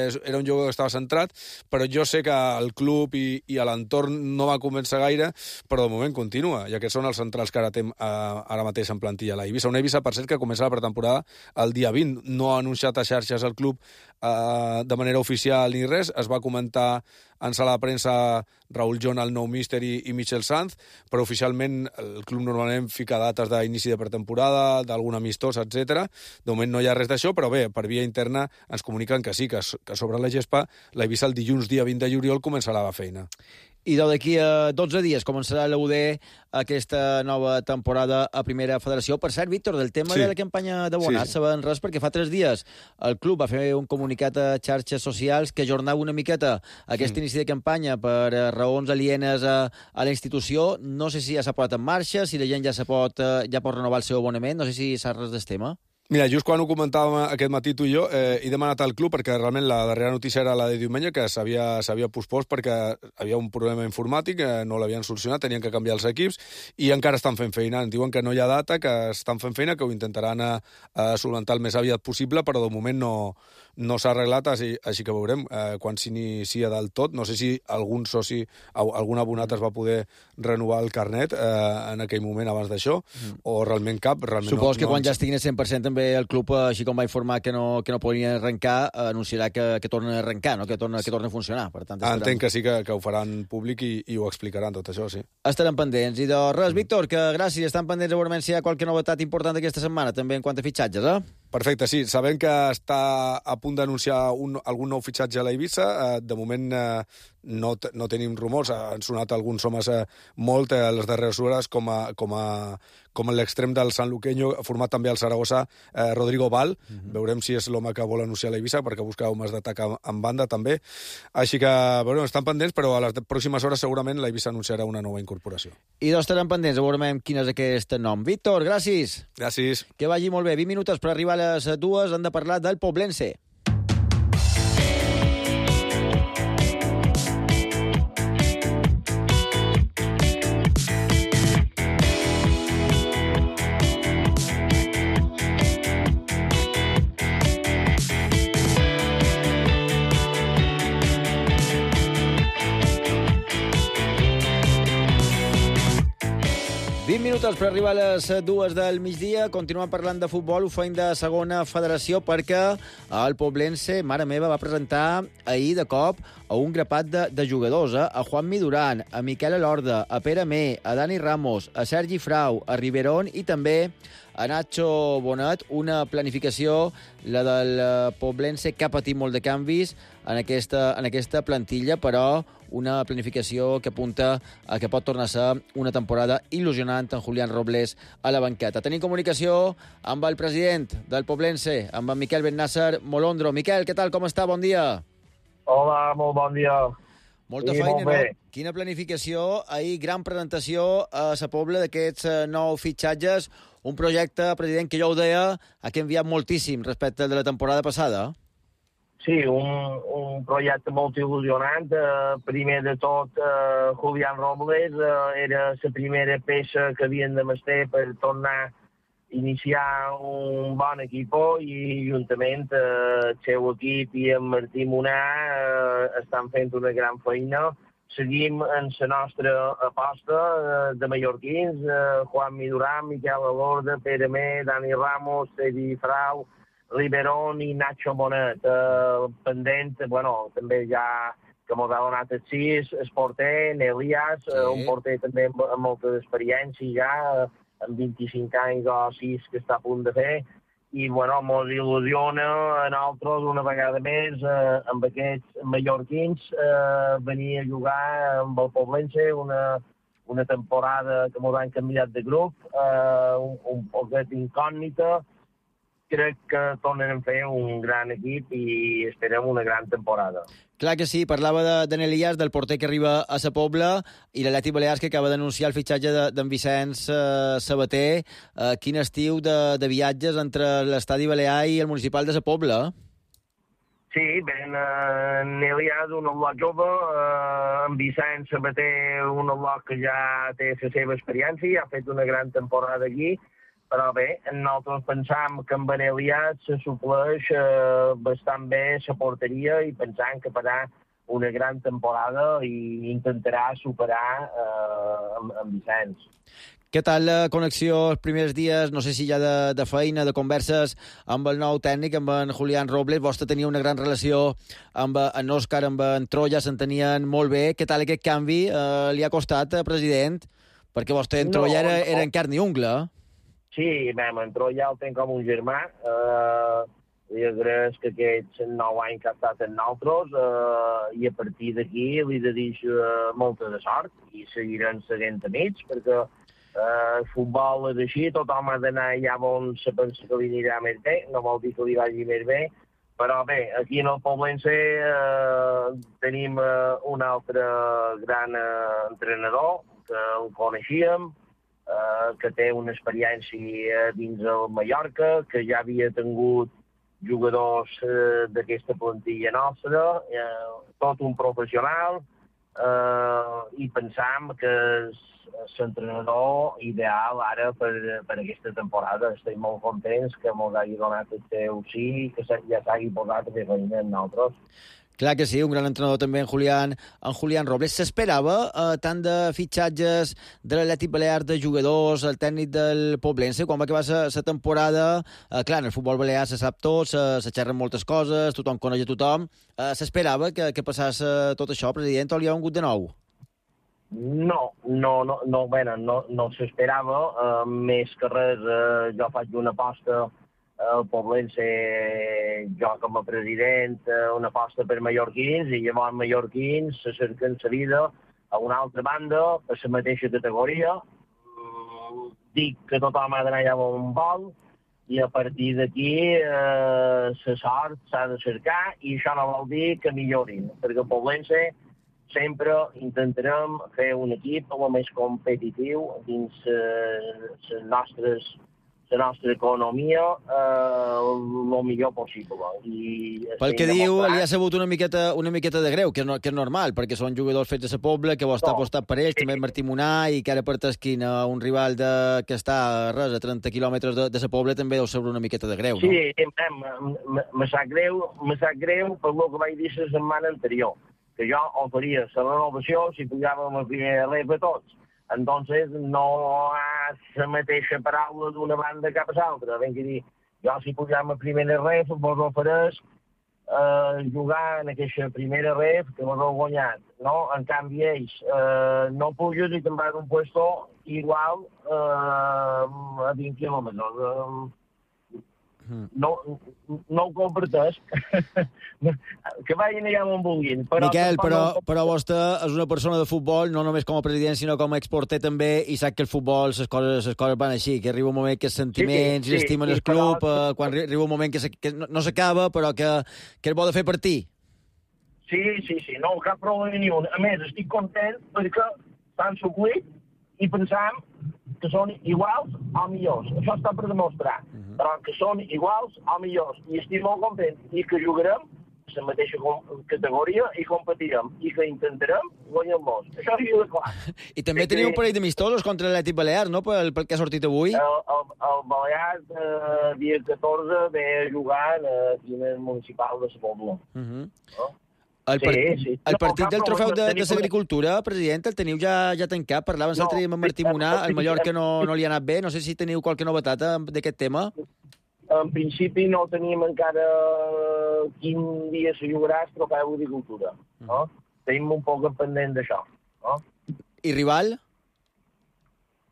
era un jugador que estava centrat, però jo sé que el club i a l'entorn no va convèncer gaire, però de moment continua, i aquests són els centrals que ara té ara mateix en plantilla l'Eivissa. Una Eivissa, per cert, que comença la pretemporada el dia 20. No ha anunciat a xarxes el club de manera oficial ni res. Es va comentar en sala de premsa Raúl John, el nou míster, i Michel Sanz, però oficialment el club normalment fica dates d'inici de pretemporada, d'algun amistós, etc. De moment no hi ha res d'això, però bé, per via interna ens comuniquen que sí, que sobre la gespa l'Eivissa el dilluns dia 20 de juliol començarà la feina. I d'aquí a 12 dies començarà l'UD aquesta nova temporada a Primera Federació. Per cert, Víctor, del tema de la campanya d'abonats, sabem res, perquè fa 3 dies el club va fer un comunicat a xarxes socials que ajornava una miqueta aquest inici de campanya per raons alienes a la institució. No sé si ja s'ha posat en marxa, si la gent ja pot renovar el seu abonament, no sé si saps res del tema. Mira, just quan ho comentàvem aquest matí tu i jo, he demanat al club, perquè realment la darrera notícia era la de diumenge, que s'havia pospost perquè havia un problema informàtic, no l'havien solucionat, tenien que canviar els equips, i encara estan fent feina. Ens diuen que no hi ha data, que estan fent feina, que ho intentaran solventar el més aviat possible, però de moment no s'ha arreglat, així que veurem quan s'inicia del tot. No sé si algun soci, algun abonat es va poder renovar el carnet en aquell moment abans d'això, o realment cap. Supos que quan ja estiguin al 100% també el club, així com va informar que no podien arrencar, anunciarà que tornen a arrencar, no? que tornen a funcionar. Per tant, entenc que sí que ho faran públic i ho explicaran, tot això, sí. Estarem pendents. I de res, Víctor, que gràcies, estan pendents a veure si hi ha qualque novetat important aquesta setmana, també en quant a fitxatges, Perfecte, sí. Sabem que està a punt d'anunciar algun nou fitxatge a la Eivissa. De moment no tenim rumors. Han sonat alguns homes molt a les darreres hores, com l'extrem del sanluqueño, format també al Saragossa, Rodrigo Val. Veurem si és l'home que vol anunciar a la Eivissa, perquè busca homes d'atac en banda, també. Així que, bueno, estan pendents, però a les pròximes hores segurament la Eivissa anunciarà una nova incorporació. I estarem pendents, veurem quin és aquest nom. Víctor, gràcies. Gràcies. Que vagi molt bé. 20 minuts per arribar a les 2, han de parlar del Poblense. Minuts per arribar a les 2 del migdia. Continuem parlant de futbol, ho feim de segona federació perquè el Poblense, mare meva, va presentar ahir de cop a un grapat de jugadors, a Juanmi Duran, a Miquel Elorda, a Pere Mé, a Dani Ramos, a Sergi Frau, a Riverón i també a Nacho Bonet, una planificació, la del Poblense, que ha patit molt de canvis en aquesta plantilla, però una planificació que apunta a que pot tornar a ser una temporada il·lusionant en Julián Robles a la banqueta. Tenim comunicació amb el president del Poblense, amb en Miquel Bennàsser Molondro. Miquel, què tal, com està? Bon dia. Hola, molt bon dia. Molta feina, no? Quina planificació. Ahir, gran presentació a Sa Pobla d'aquests nous fitxatges. Un projecte, president, que jo ho deia, ha canviat moltíssim respecte al de la temporada passada. Sí, un projecte molt il·lusionant. Primer de tot, Julián Robles era la primera peça que havien de mestre per tornar a iniciar un bon equip i juntament el seu equip i en Martí Monà estan fent una gran feina. Seguim en la nostra aposta de mallorquins, Juanmi Duran, Miquel Elorda, Pere Mé, Dani Ramos, Sergi Frau, Riverón i Nacho Bonet. Pendent, bueno, també ja que m'ho ha donat el 6, el porter, Elias, un porter també amb molta experiència ja, amb 25 anys o 6 que està a punt de fer. I, bueno, ens il·lusiona a nosaltres una vegada més, amb aquests mallorquins, venir a jugar amb el Poblense una temporada que ens han canviat de grup, un poquet incògnita. Crec que tornen a fer un gran equip i esperem una gran temporada. Clar que sí, parlava d'en Elias, del porter que arriba a Sa Pobla, i l'Atlètic Balears, que acaba d'anunciar el fitxatge d'en Vicenç Sabater. Quin estiu de viatges entre l'estadi balear i el municipal de Sa Pobla? Sí, ben, en Elias, un al·lot jove, en Vicenç Sabater, un al·lot que ja té la seva experiència, ha fet una gran temporada aquí. Però bé, nosaltres pensam que amb en Elias se supleix bastant bé la porteria i pensam que farà una gran temporada i intentarà superar en Vicenç. Què tal la connexió els primers dies, no sé si ja de feina, de converses amb el nou tècnic, amb en Julián Robles? Vostè tenia una gran relació amb en Òscar, amb en Troya, s'entenien molt bé. Què tal aquest canvi? Li ha costat, president? Perquè vostè en Troya era en carn i ungla. Sí, en Troya el tenc com un germà. Li agraeix que aquests 9 anys que ha estat amb nosaltres i a partir d'aquí li dedico molta de sort i seguirem seguint amics perquè el futbol és així, tothom ha d'anar allà on se pensa que li anirà més bé, no vol dir que li vagi més bé, però bé, aquí en el Poblense tenim un altre gran entrenador que el coneixíem, que té una experiència dins el Mallorca, que ja havia tingut jugadors d'aquesta plantilla nostra, tot un professional, i pensam que és l'entrenador ideal ara per aquesta temporada. Estem molt contents que ens hagi donat el seu sí i que ja s'hagi posat a fer feina amb nosaltres. Clar que sí, un gran entrenador també, en Julián Robles. S'esperava tant de fitxatges de l'Atlètic Balear, de jugadors, el tècnic del Poblense, quan va acabar la temporada. Clar, en el futbol balear se sap tot, se xerren moltes coses, tothom coneix a tothom. S'esperava que passés tot això, president, o li ha vingut de nou? No s'esperava. Més que res, jo faig una aposta. El Poblense, jo com a president, una aposta per mallorquins, i llavors mallorquins se cerquen la vida a una altra banda, a la mateixa categoria. Dic que tothom ha d'anar allà on vol, i a partir d'aquí la sort s'ha de cercar, i això no vol dir que millorin, perquè el Poblense sempre intentarem fer un equip el més competitiu dins la nostra economia el millor possible. Pel que diu, li ha sabut una miqueta de greu, que és normal, perquè són jugadors fets a la Pobla, que vol estar apostat per ells, també Martí Munà, i que ara per t'esquina un rival que està a 30 quilòmetres de la Pobla també deu saber una miqueta de greu, no? Sí, me sap greu per el que vaig dir la setmana anterior, que jo oferia la renovació si pujàvem a primera ref a tots. Entonces, no hi ha la mateixa paraula d'una banda cap a l'altra. Ben que dir, jo si pujam a primera ref vos ofereix jugar en aquesta primera ref que vos heu guanyat, no? En canvi, ells no puges i te'n vas d'un puesto igual a 20 quilòmetres. No ho comparteix. Que vagin allà on vulguin. Miquel, però vostè és una persona de futbol, no només com a president, sinó com a exporter també, i sap que el futbol, les coses van així, que arriba un moment que els sentiments i l'estimen el club, quan arriba un moment que no s'acaba, però que és bo de fer partir. Sí, no, cap problema ni un. A més, estic content perquè s'han suclit i pensam que són iguals o millors. Això està per demostrar, però que són iguals o millors. I estic molt content. I que jugarem a la mateixa categoria i competirem. I que intentarem guanyar-los. Això és clar. I també teniu un parell d'amistosos contra l'Atlètic Balear, no?, pel que ha sortit avui. El Balear, dia 14, ve a jugar aquí en el municipal de la Pobla. El partit del trofeu de l'agricultura, president, el teniu ja tancat? Parlaven l'altre dia amb Martí Munà, el Mallorca no li ha anat bé. No sé si teniu qualque novetat d'aquest tema. En principi no tenim encara quin dia se jugarà el trofeu d'agricultura. Tenim un poc pendent d'això. I rival?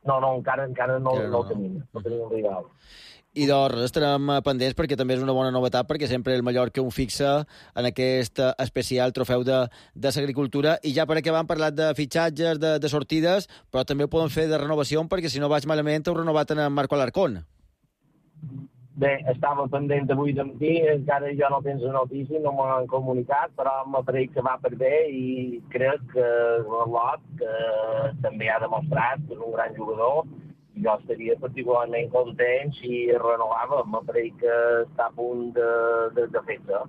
No, encara no el tenim. No tenim un rival. I doncs estarem pendents perquè també és una bona novetat, perquè sempre el Mallorca un fixa en aquest especial trofeu de l'agricultura. I ja per acabar hem parlat de fitxatges, de sortides, però també ho podem fer de renovació, perquè si no vaig malament heu renovat en Marco Alarcón. Bé, estava pendent avui de matí, encara jo no tens la notícia, no m'han comunicat, però m'apareix que va per bé i crec que Lot, que també ha demostrat que és un gran jugador, jo estaria particularment content si renovava. M'apareix que està a punt de fer-se.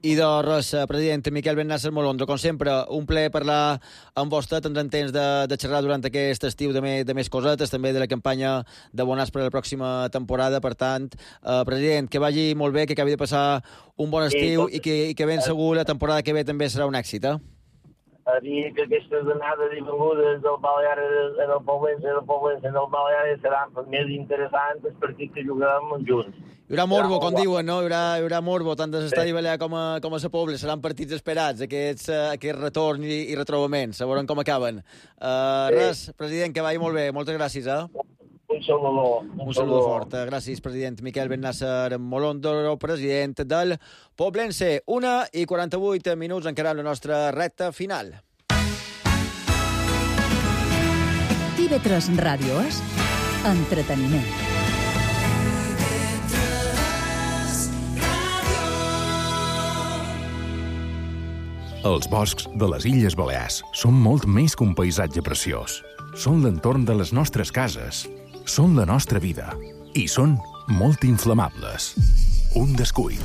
I doncs, president Miquel Ben-Nasser Molondro, com sempre, un plaer parlar amb vostè. Tindrem temps de xerrar durant aquest estiu de més cosetes, també de la campanya de Bonàs per a la pròxima temporada. Per tant, president, que vagi molt bé, que acabi de passar un bon estiu i que ben segur la temporada que ve també serà un èxit, a dir que aquestes anades i vengudes del Balear en el Poblense en el Balear seran més interessants els partits que juguem junts. Hi haurà morbo, com diuen, no? Hi haurà morbo, tant de l'estadi Balear com a la Pobla. Seran partits esperats, aquest retorn i retrobament. A veure com acaben. Res, president, que vagi molt bé. Moltes gràcies, Un saludo fort. Gràcies, president Miquel Ben-Nasser Molondro, president del Poblense. 1:48 encara la nostra recta final. TV3 Ràdio és entreteniment. Els boscs de les Illes Balears són molt més que un paisatge preciós. Són l'entorn de les nostres cases. Són la nostra vida. I són molt inflamables. Un descuit,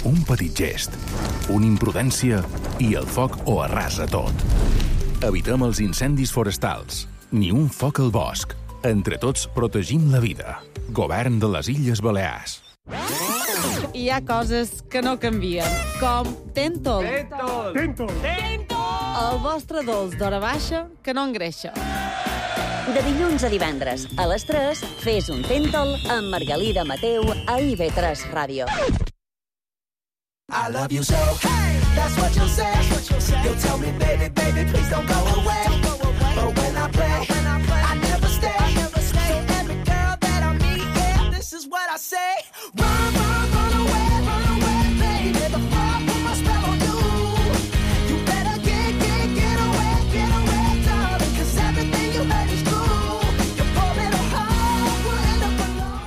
un petit gest, una imprudència i el foc ho arrasa tot. Evitem els incendis forestals. Ni un foc al bosc. Entre tots protegim la vida. Govern de les Illes Balears. hi ha coses que no canvien, com Tentol. Tentol. El vostre dolç d'hora baixa que no engreixa. De dilluns a divendres, a les 3, fes un Tentol amb Margalida Mateu a IB3 Ràdio. I love you so. Hey, that's what you'll say. You'll tell me, baby, baby, please don't go away. But when I play, I never stay. So every girl that I meet, yeah, this is what I say. Run, run, run away, baby. Before I put my spell on you. You better get away, darling. 'Cause everything you heard is true. Your poor little heart will end up alone.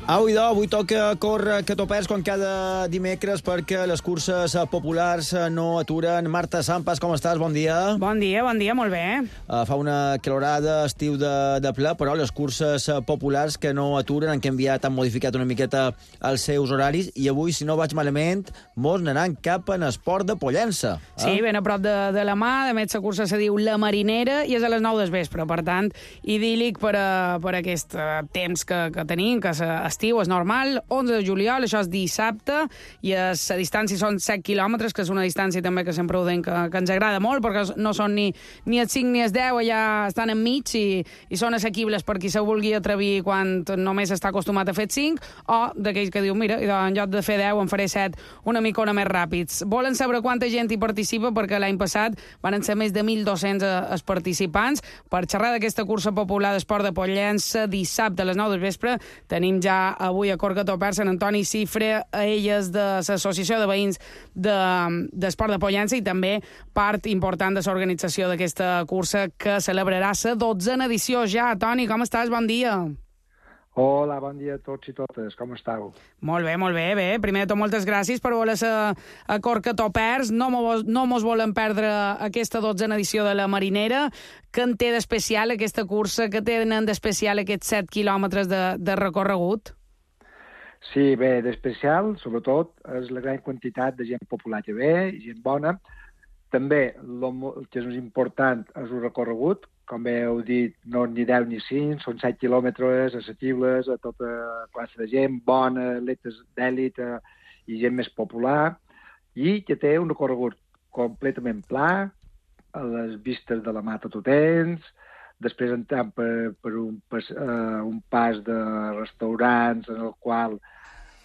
Au, idò, avui toca córrer que t'ho perds com cada dimecres perquè les curses populars no aturen. Marta Sampas, com estàs? Bon dia. Bon dia, molt bé. Fa una calorada, estiu de ple, però les curses populars que no aturen, han canviat, han modificat una miqueta els seus horaris i avui, si no vaig malament, molts anaran cap en esport de Pollença. Sí, ben a prop de la mà. De més, la cursa se diu La Marinera i és a les 9 del vespre. Per tant, idíl·lic per aquest temps que tenim, que estiu, és normal. 11 de juliol, això és dissabte, i la distància són 7 quilòmetres, que és una distància també que sempre ho deim que ens agrada molt, perquè no són ni els 5 ni els 10, allà estan enmig i són assequibles per qui se vulgui atrevir quan només està acostumat a fer 5, o d'aquells que diu, mira, en lloc de fer 10 en faré 7 una micona més ràpids. Volen saber quanta gent hi participa, perquè l'any passat van ser més de 1.200 els participants. Per xerrar d'aquesta cursa popular d'esport de Pollença, dissabte a les 9 del vespre, tenim ja avui a Cor que t'ho perds en Antoni Cifre, elles de l'Associació de Veïns d'Esport de Pollença i també part important de l'organització d'aquesta cursa que celebrarà la 12a edició ja. Toni, com estàs? Bon dia. Hola, bon dia a tots i totes. Com estàu? Molt bé. Primer de tot, moltes gràcies per voler ser a Cor que t'ho perds. No mos volem perdre aquesta 12a edició de la Marinera. Què en té d'especial aquesta cursa? Què tenen d'especial aquests 7 quilòmetres de recorregut? Sí, bé, d'especial, sobretot, és la gran quantitat de gent popular que ve, gent bona. També, el que és important és el recorregut. Com bé heu dit, no ni 10 ni 5, són 7 quilòmetres assequibles a tota classe de gent, bona, atletes d'èlit i gent més popular, i que té un recorregut completament pla, a les vistes de la Mata Totens, després entrem per un pas de restaurants en el qual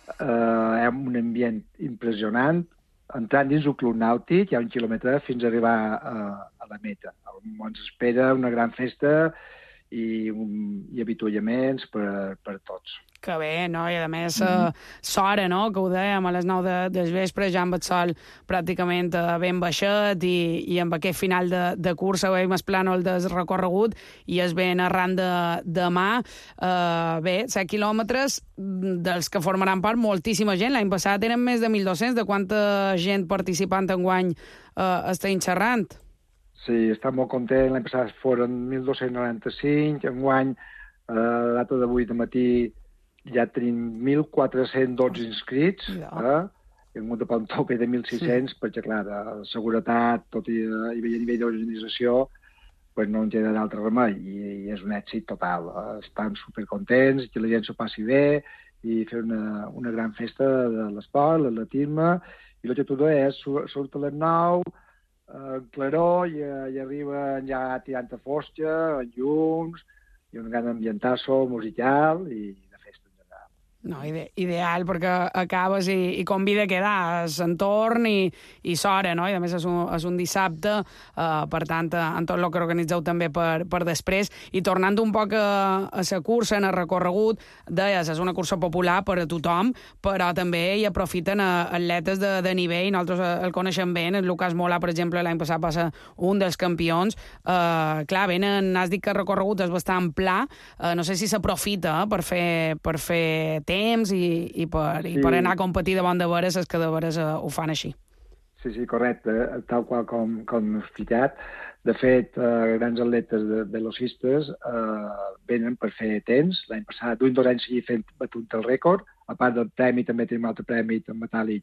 hi ha un ambient impressionant. Entrant dins el club nàutic hi ha 1 quilòmetre fins a arribar a la meta, on ens espera una gran festa i avituallaments per tots. Que bé, no? I a més, s'hora, no?, que ho dèiem, a les 9 del vespre, ja amb el sol pràcticament ben baixet i amb aquest final de cursa veiem el plànol del recorregut i es ven arran de demà. Bé, 7 quilòmetres dels que formaran part moltíssima gent. L'any passat eren més de 1.200. De quanta gent participant enguany estem xerrant? Sí, està molt content. L'any passat foren 1.295. Enguany, a la data d'avui de matí, ja tenim 1.412 inscrits, hi ha hagut de un tope de 1.600, perquè, clar, de seguretat, tot i a nivell d'organització, no en queda d'altre remei, i és un èxit total. Estan supercontents, que la gent s'ho passi bé, i fer una gran festa de l'esport, l'atletisme, i el que tu deies, surt a les 9, claror, i arriba ja tirant a fosca, en llums, i un gran ambientasso musical, i no, ideal, perquè acabes i convida a quedar l'entorn i s'hora, no? I a més és un dissabte, per tant, en tot el que organitzeu també per després. I tornant un poc a la cursa, en el recorregut, deies, és una cursa popular per a tothom, però també hi aprofiten atletes de nivell. Nosaltres el coneixem bé, en Lucas Mola, per exemple, l'any passat va ser un dels campions. Clar, has dit que el recorregut és bastant pla, no sé si s'aprofita per fer temps i per anar a competir davant de veres els que de veres ho fan així. Sí, correcte, tal qual com he explicat. De fet, grans atletes velocistes venen per fer temps. L'any passat, d'un 2 anys seguit fent batut el rècord. A part del premi, també tenim un altre premi en metàl·lic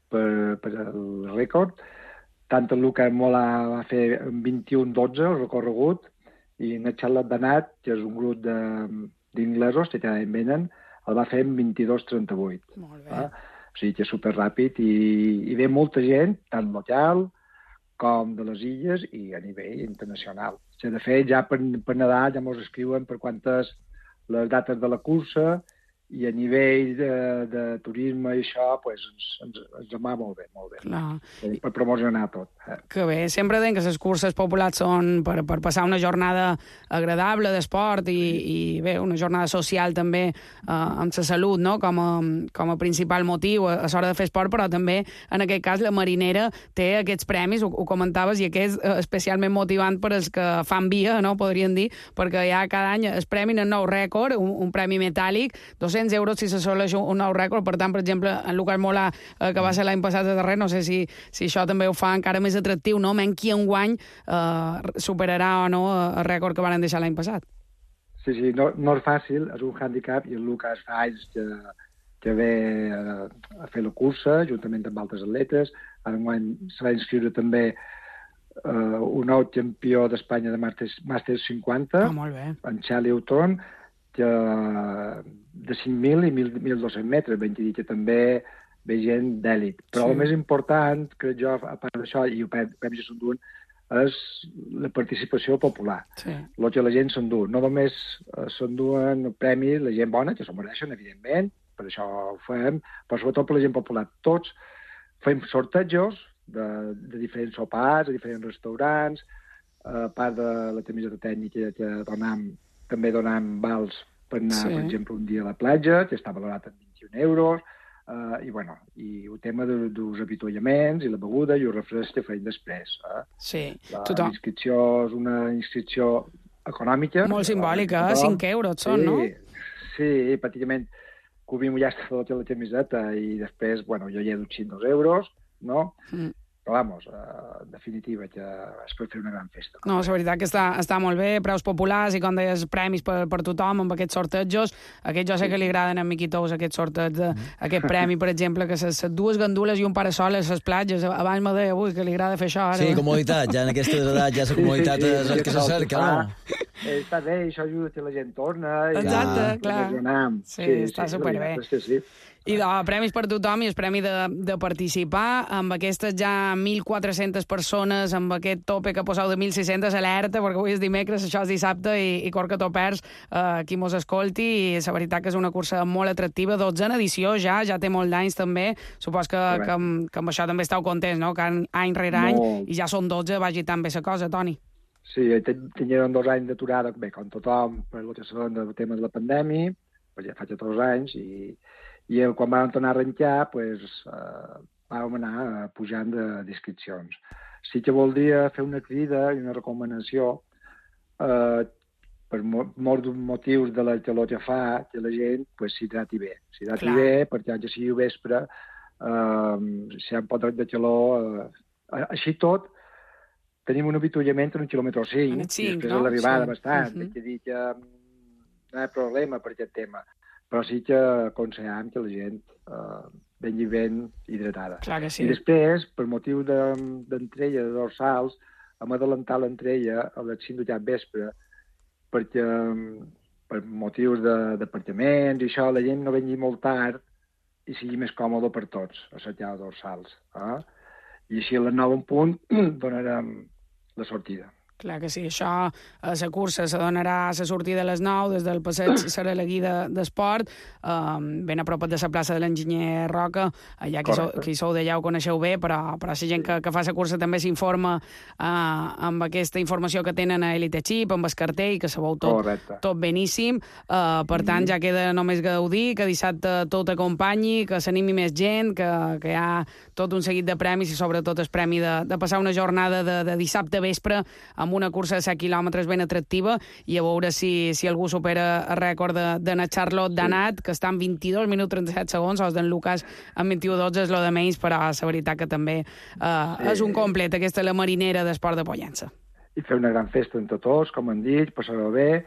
per el rècord. Tant el Lucas Mola va fer 21-12 el recorregut i en Charlotte Danat, que és un grup d'inglesos que cada any venen, el va fer en 22-38. Molt bé. O sigui que és superràpid i ve molta gent, tant local com de les illes i a nivell internacional. O sigui, de fet, ja per Nadal ja ens escriuen per quantes les dates de la cursa i a nivell de turisme i això, pues, ens va molt bé. Clar. Per promocionar tot. Que bé, sempre deien que les curses populars són per passar una jornada agradable d'esport i bé, una jornada social també amb la salut, no? com a principal motiu a l'hora de fer esport, però també en aquest cas la Marinera té aquests premis, ho comentaves, i aquest és especialment motivant per als que fan via, no? Podríem dir, perquè ja cada any es premin un nou rècord, un premi metàl·lic, 200 euros si s'assoleix un nou rècord. Per tant, per exemple, en Lucas Molà, que va ser l'any passat de darrer, no sé si això també ho fa encara més atractiu, no? Menys qui enguany superarà o no el rècord que van deixar l'any passat. Sí, no és fàcil, és un hàndicap, i el Lucas fa anys que ve a fer la cursa, juntament amb altres atletes. Enguany se va inscriure també un nou campió d'Espanya de Màsters 50, molt bé. En Charlie Houghton, de 5.000 i 1.200 metres, ben dir que també ve gent d'èlit. Però el més important, crec jo, a part d'això, i ho penso que s'enduen, és la participació popular. El que la gent s'endú. No només s'enduen premis la gent bona, que s'ho mereixen, evidentment, per això ho fem, però sobretot per la gent popular. Tots fem sortejos de diferents sopars, de diferents restaurants, a part de la camiseta tècnica que també donam vals per anar, per exemple, un dia a la platja, que està valorat en 21 euros, i el tema dels avituallaments i la beguda i el refresc que feim després. La inscripció és una inscripció econòmica. Molt simbòlica, 5 euros són, no? Sí, pràcticament cobrim ja tota la camiseta i després, jo hi he dutxit 2 euros, no? Però, en definitiva, que es pot fer una gran festa. No, la veritat que està molt bé, preus populars i, com deies, premis per tothom amb aquests sortejos. Aquest jo sé que li agraden a Miqui Tous, aquests sortejos, aquest premi, per exemple, que les dues gandules i un parasol a les platges. Abans me deia, que li agrada fer això ara. Sí, comoditat, ja en aquestes edats, ja la comoditat és el que se cerca, no? Està bé, això ajuda que la gent torna. Exacte, clar. Sí, està superbé. I premis per tothom i el premi de participar amb aquestes ja 1.400 persones, amb aquest tope que poseu de 1.600, alerta, perquè avui és dimecres, això és dissabte i cor que t'ho perds qui mos escolti, i la veritat que és una cursa molt atractiva, 12 edició ja té molt d'anys també, supos que amb això també esteu contents, no? Que any rere any, i ja són 12, vagi tan bé la cosa, Toni. Sí, teníem 2 anys d'aturada, bé, com tothom, per el que són el tema de la pandèmia, ja fa 2 anys, i quan vam tornar a arrencar, vam anar pujant d'inscripcions. Sí que voldria fer una crida i una recomanació per molts motius de la calor que fa, que la gent s'hidrati bé. S'hidrati bé, perquè ja sigui vespre, si hi ha un pot de calor... Així tot, tenim un avituallament en 1,5 quilòmetre, i després de l'arribada bastant. Haig de dir que no hi ha problema per aquest tema. Però sí que aconsellem que la gent vengui ben hidratada. Clar que sí. I després, per motiu d'entrella de dorsals, hem adelantat l'entrella a les 5 de vespre, perquè per motius d'apartaments i això, la gent no vengui molt tard i sigui més còmode per tots, assetjar dorsals. I així a les 9 en punt donarem la sortida. Clar que sí, això a la cursa se donarà a la sortida a les 9, des del passeig serà la guida d'esport, ben a prop de la plaça de l'enginyer Roca, allà qui sou d'allà ho coneixeu bé, però la gent que fa la cursa també s'informa amb aquesta informació que tenen a Elite Chip, amb el cartell, que sabeu tot beníssim. Per tant, ja queda només gaudir, que dissabte tot acompanyi, que s'animi més gent, que hi ha tot un seguit de premis i sobretot el premi de passar una jornada de dissabte vespre amb una cursa de 7 quilòmetres ben atractiva, i a veure si algú supera el rècord d'Anna Charlotte Danat, que està en 22 minuts 37 segons, o d'en Lucas en 21:12, és lo de menys, però la veritat que també és un complet, aquesta la Marinera d'Esport de Pollença. I fer una gran festa entre tots, com han dit, passar-ho bé,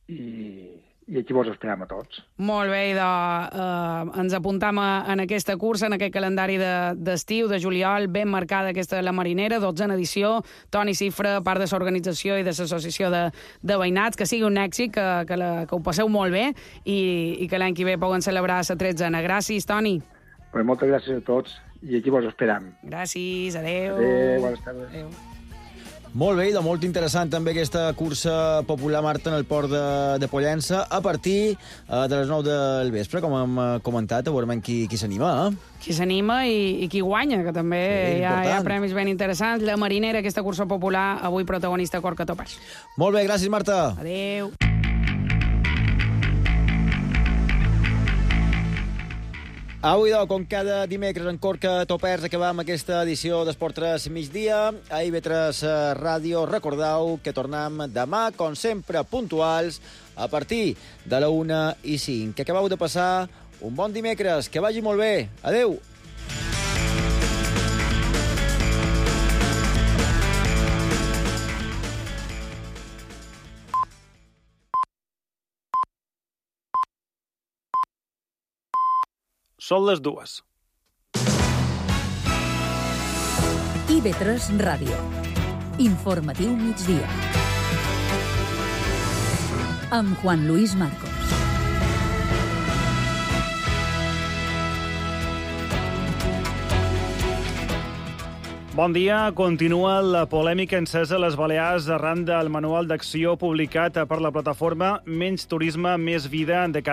i aquí vos esperem a tots. Molt bé, ens apuntam en aquesta cursa, en aquest calendari d'estiu, de juliol, ben marcada aquesta la Marinera, 12a edició. Toni Cifra, part de l'organització i de l'associació de veïnats, que sigui un èxit, que ho passeu molt bé i que l'any que ve poden celebrar la 13a. Gràcies, Toni. Pues moltes gràcies a tots i aquí vos esperam. Gràcies, adeu. Adéu, bones tardes. Adéu. Molt bé, molt interessant també aquesta cursa popular, Marta, en el port de Pollença, a partir de les 9 del vespre, com hem comentat, veurem qui s'anima, Qui s'anima i qui guanya, que també hi ha premis ben interessants. La Marinera, aquesta cursa popular, avui protagonista Corca Topers. Molt bé, gràcies, Marta. Adéu. Avui, com cada dimecres, en Corca Topers acabam aquesta edició d'Esport 3 migdia. A IB3 Ràdio, recordeu que tornem demà, com sempre, puntuals, a partir de la 1:05. Que acabeu de passar un bon dimecres, que vagi molt bé. Adéu. Són les 2. IB3 Ràdio. Informatiu migdia. Amb Juan Luis Marcos. Bon dia. Continua la polèmica encesa a les Balears arran del manual d'acció publicat per la plataforma Menys Turisme, Més Vida de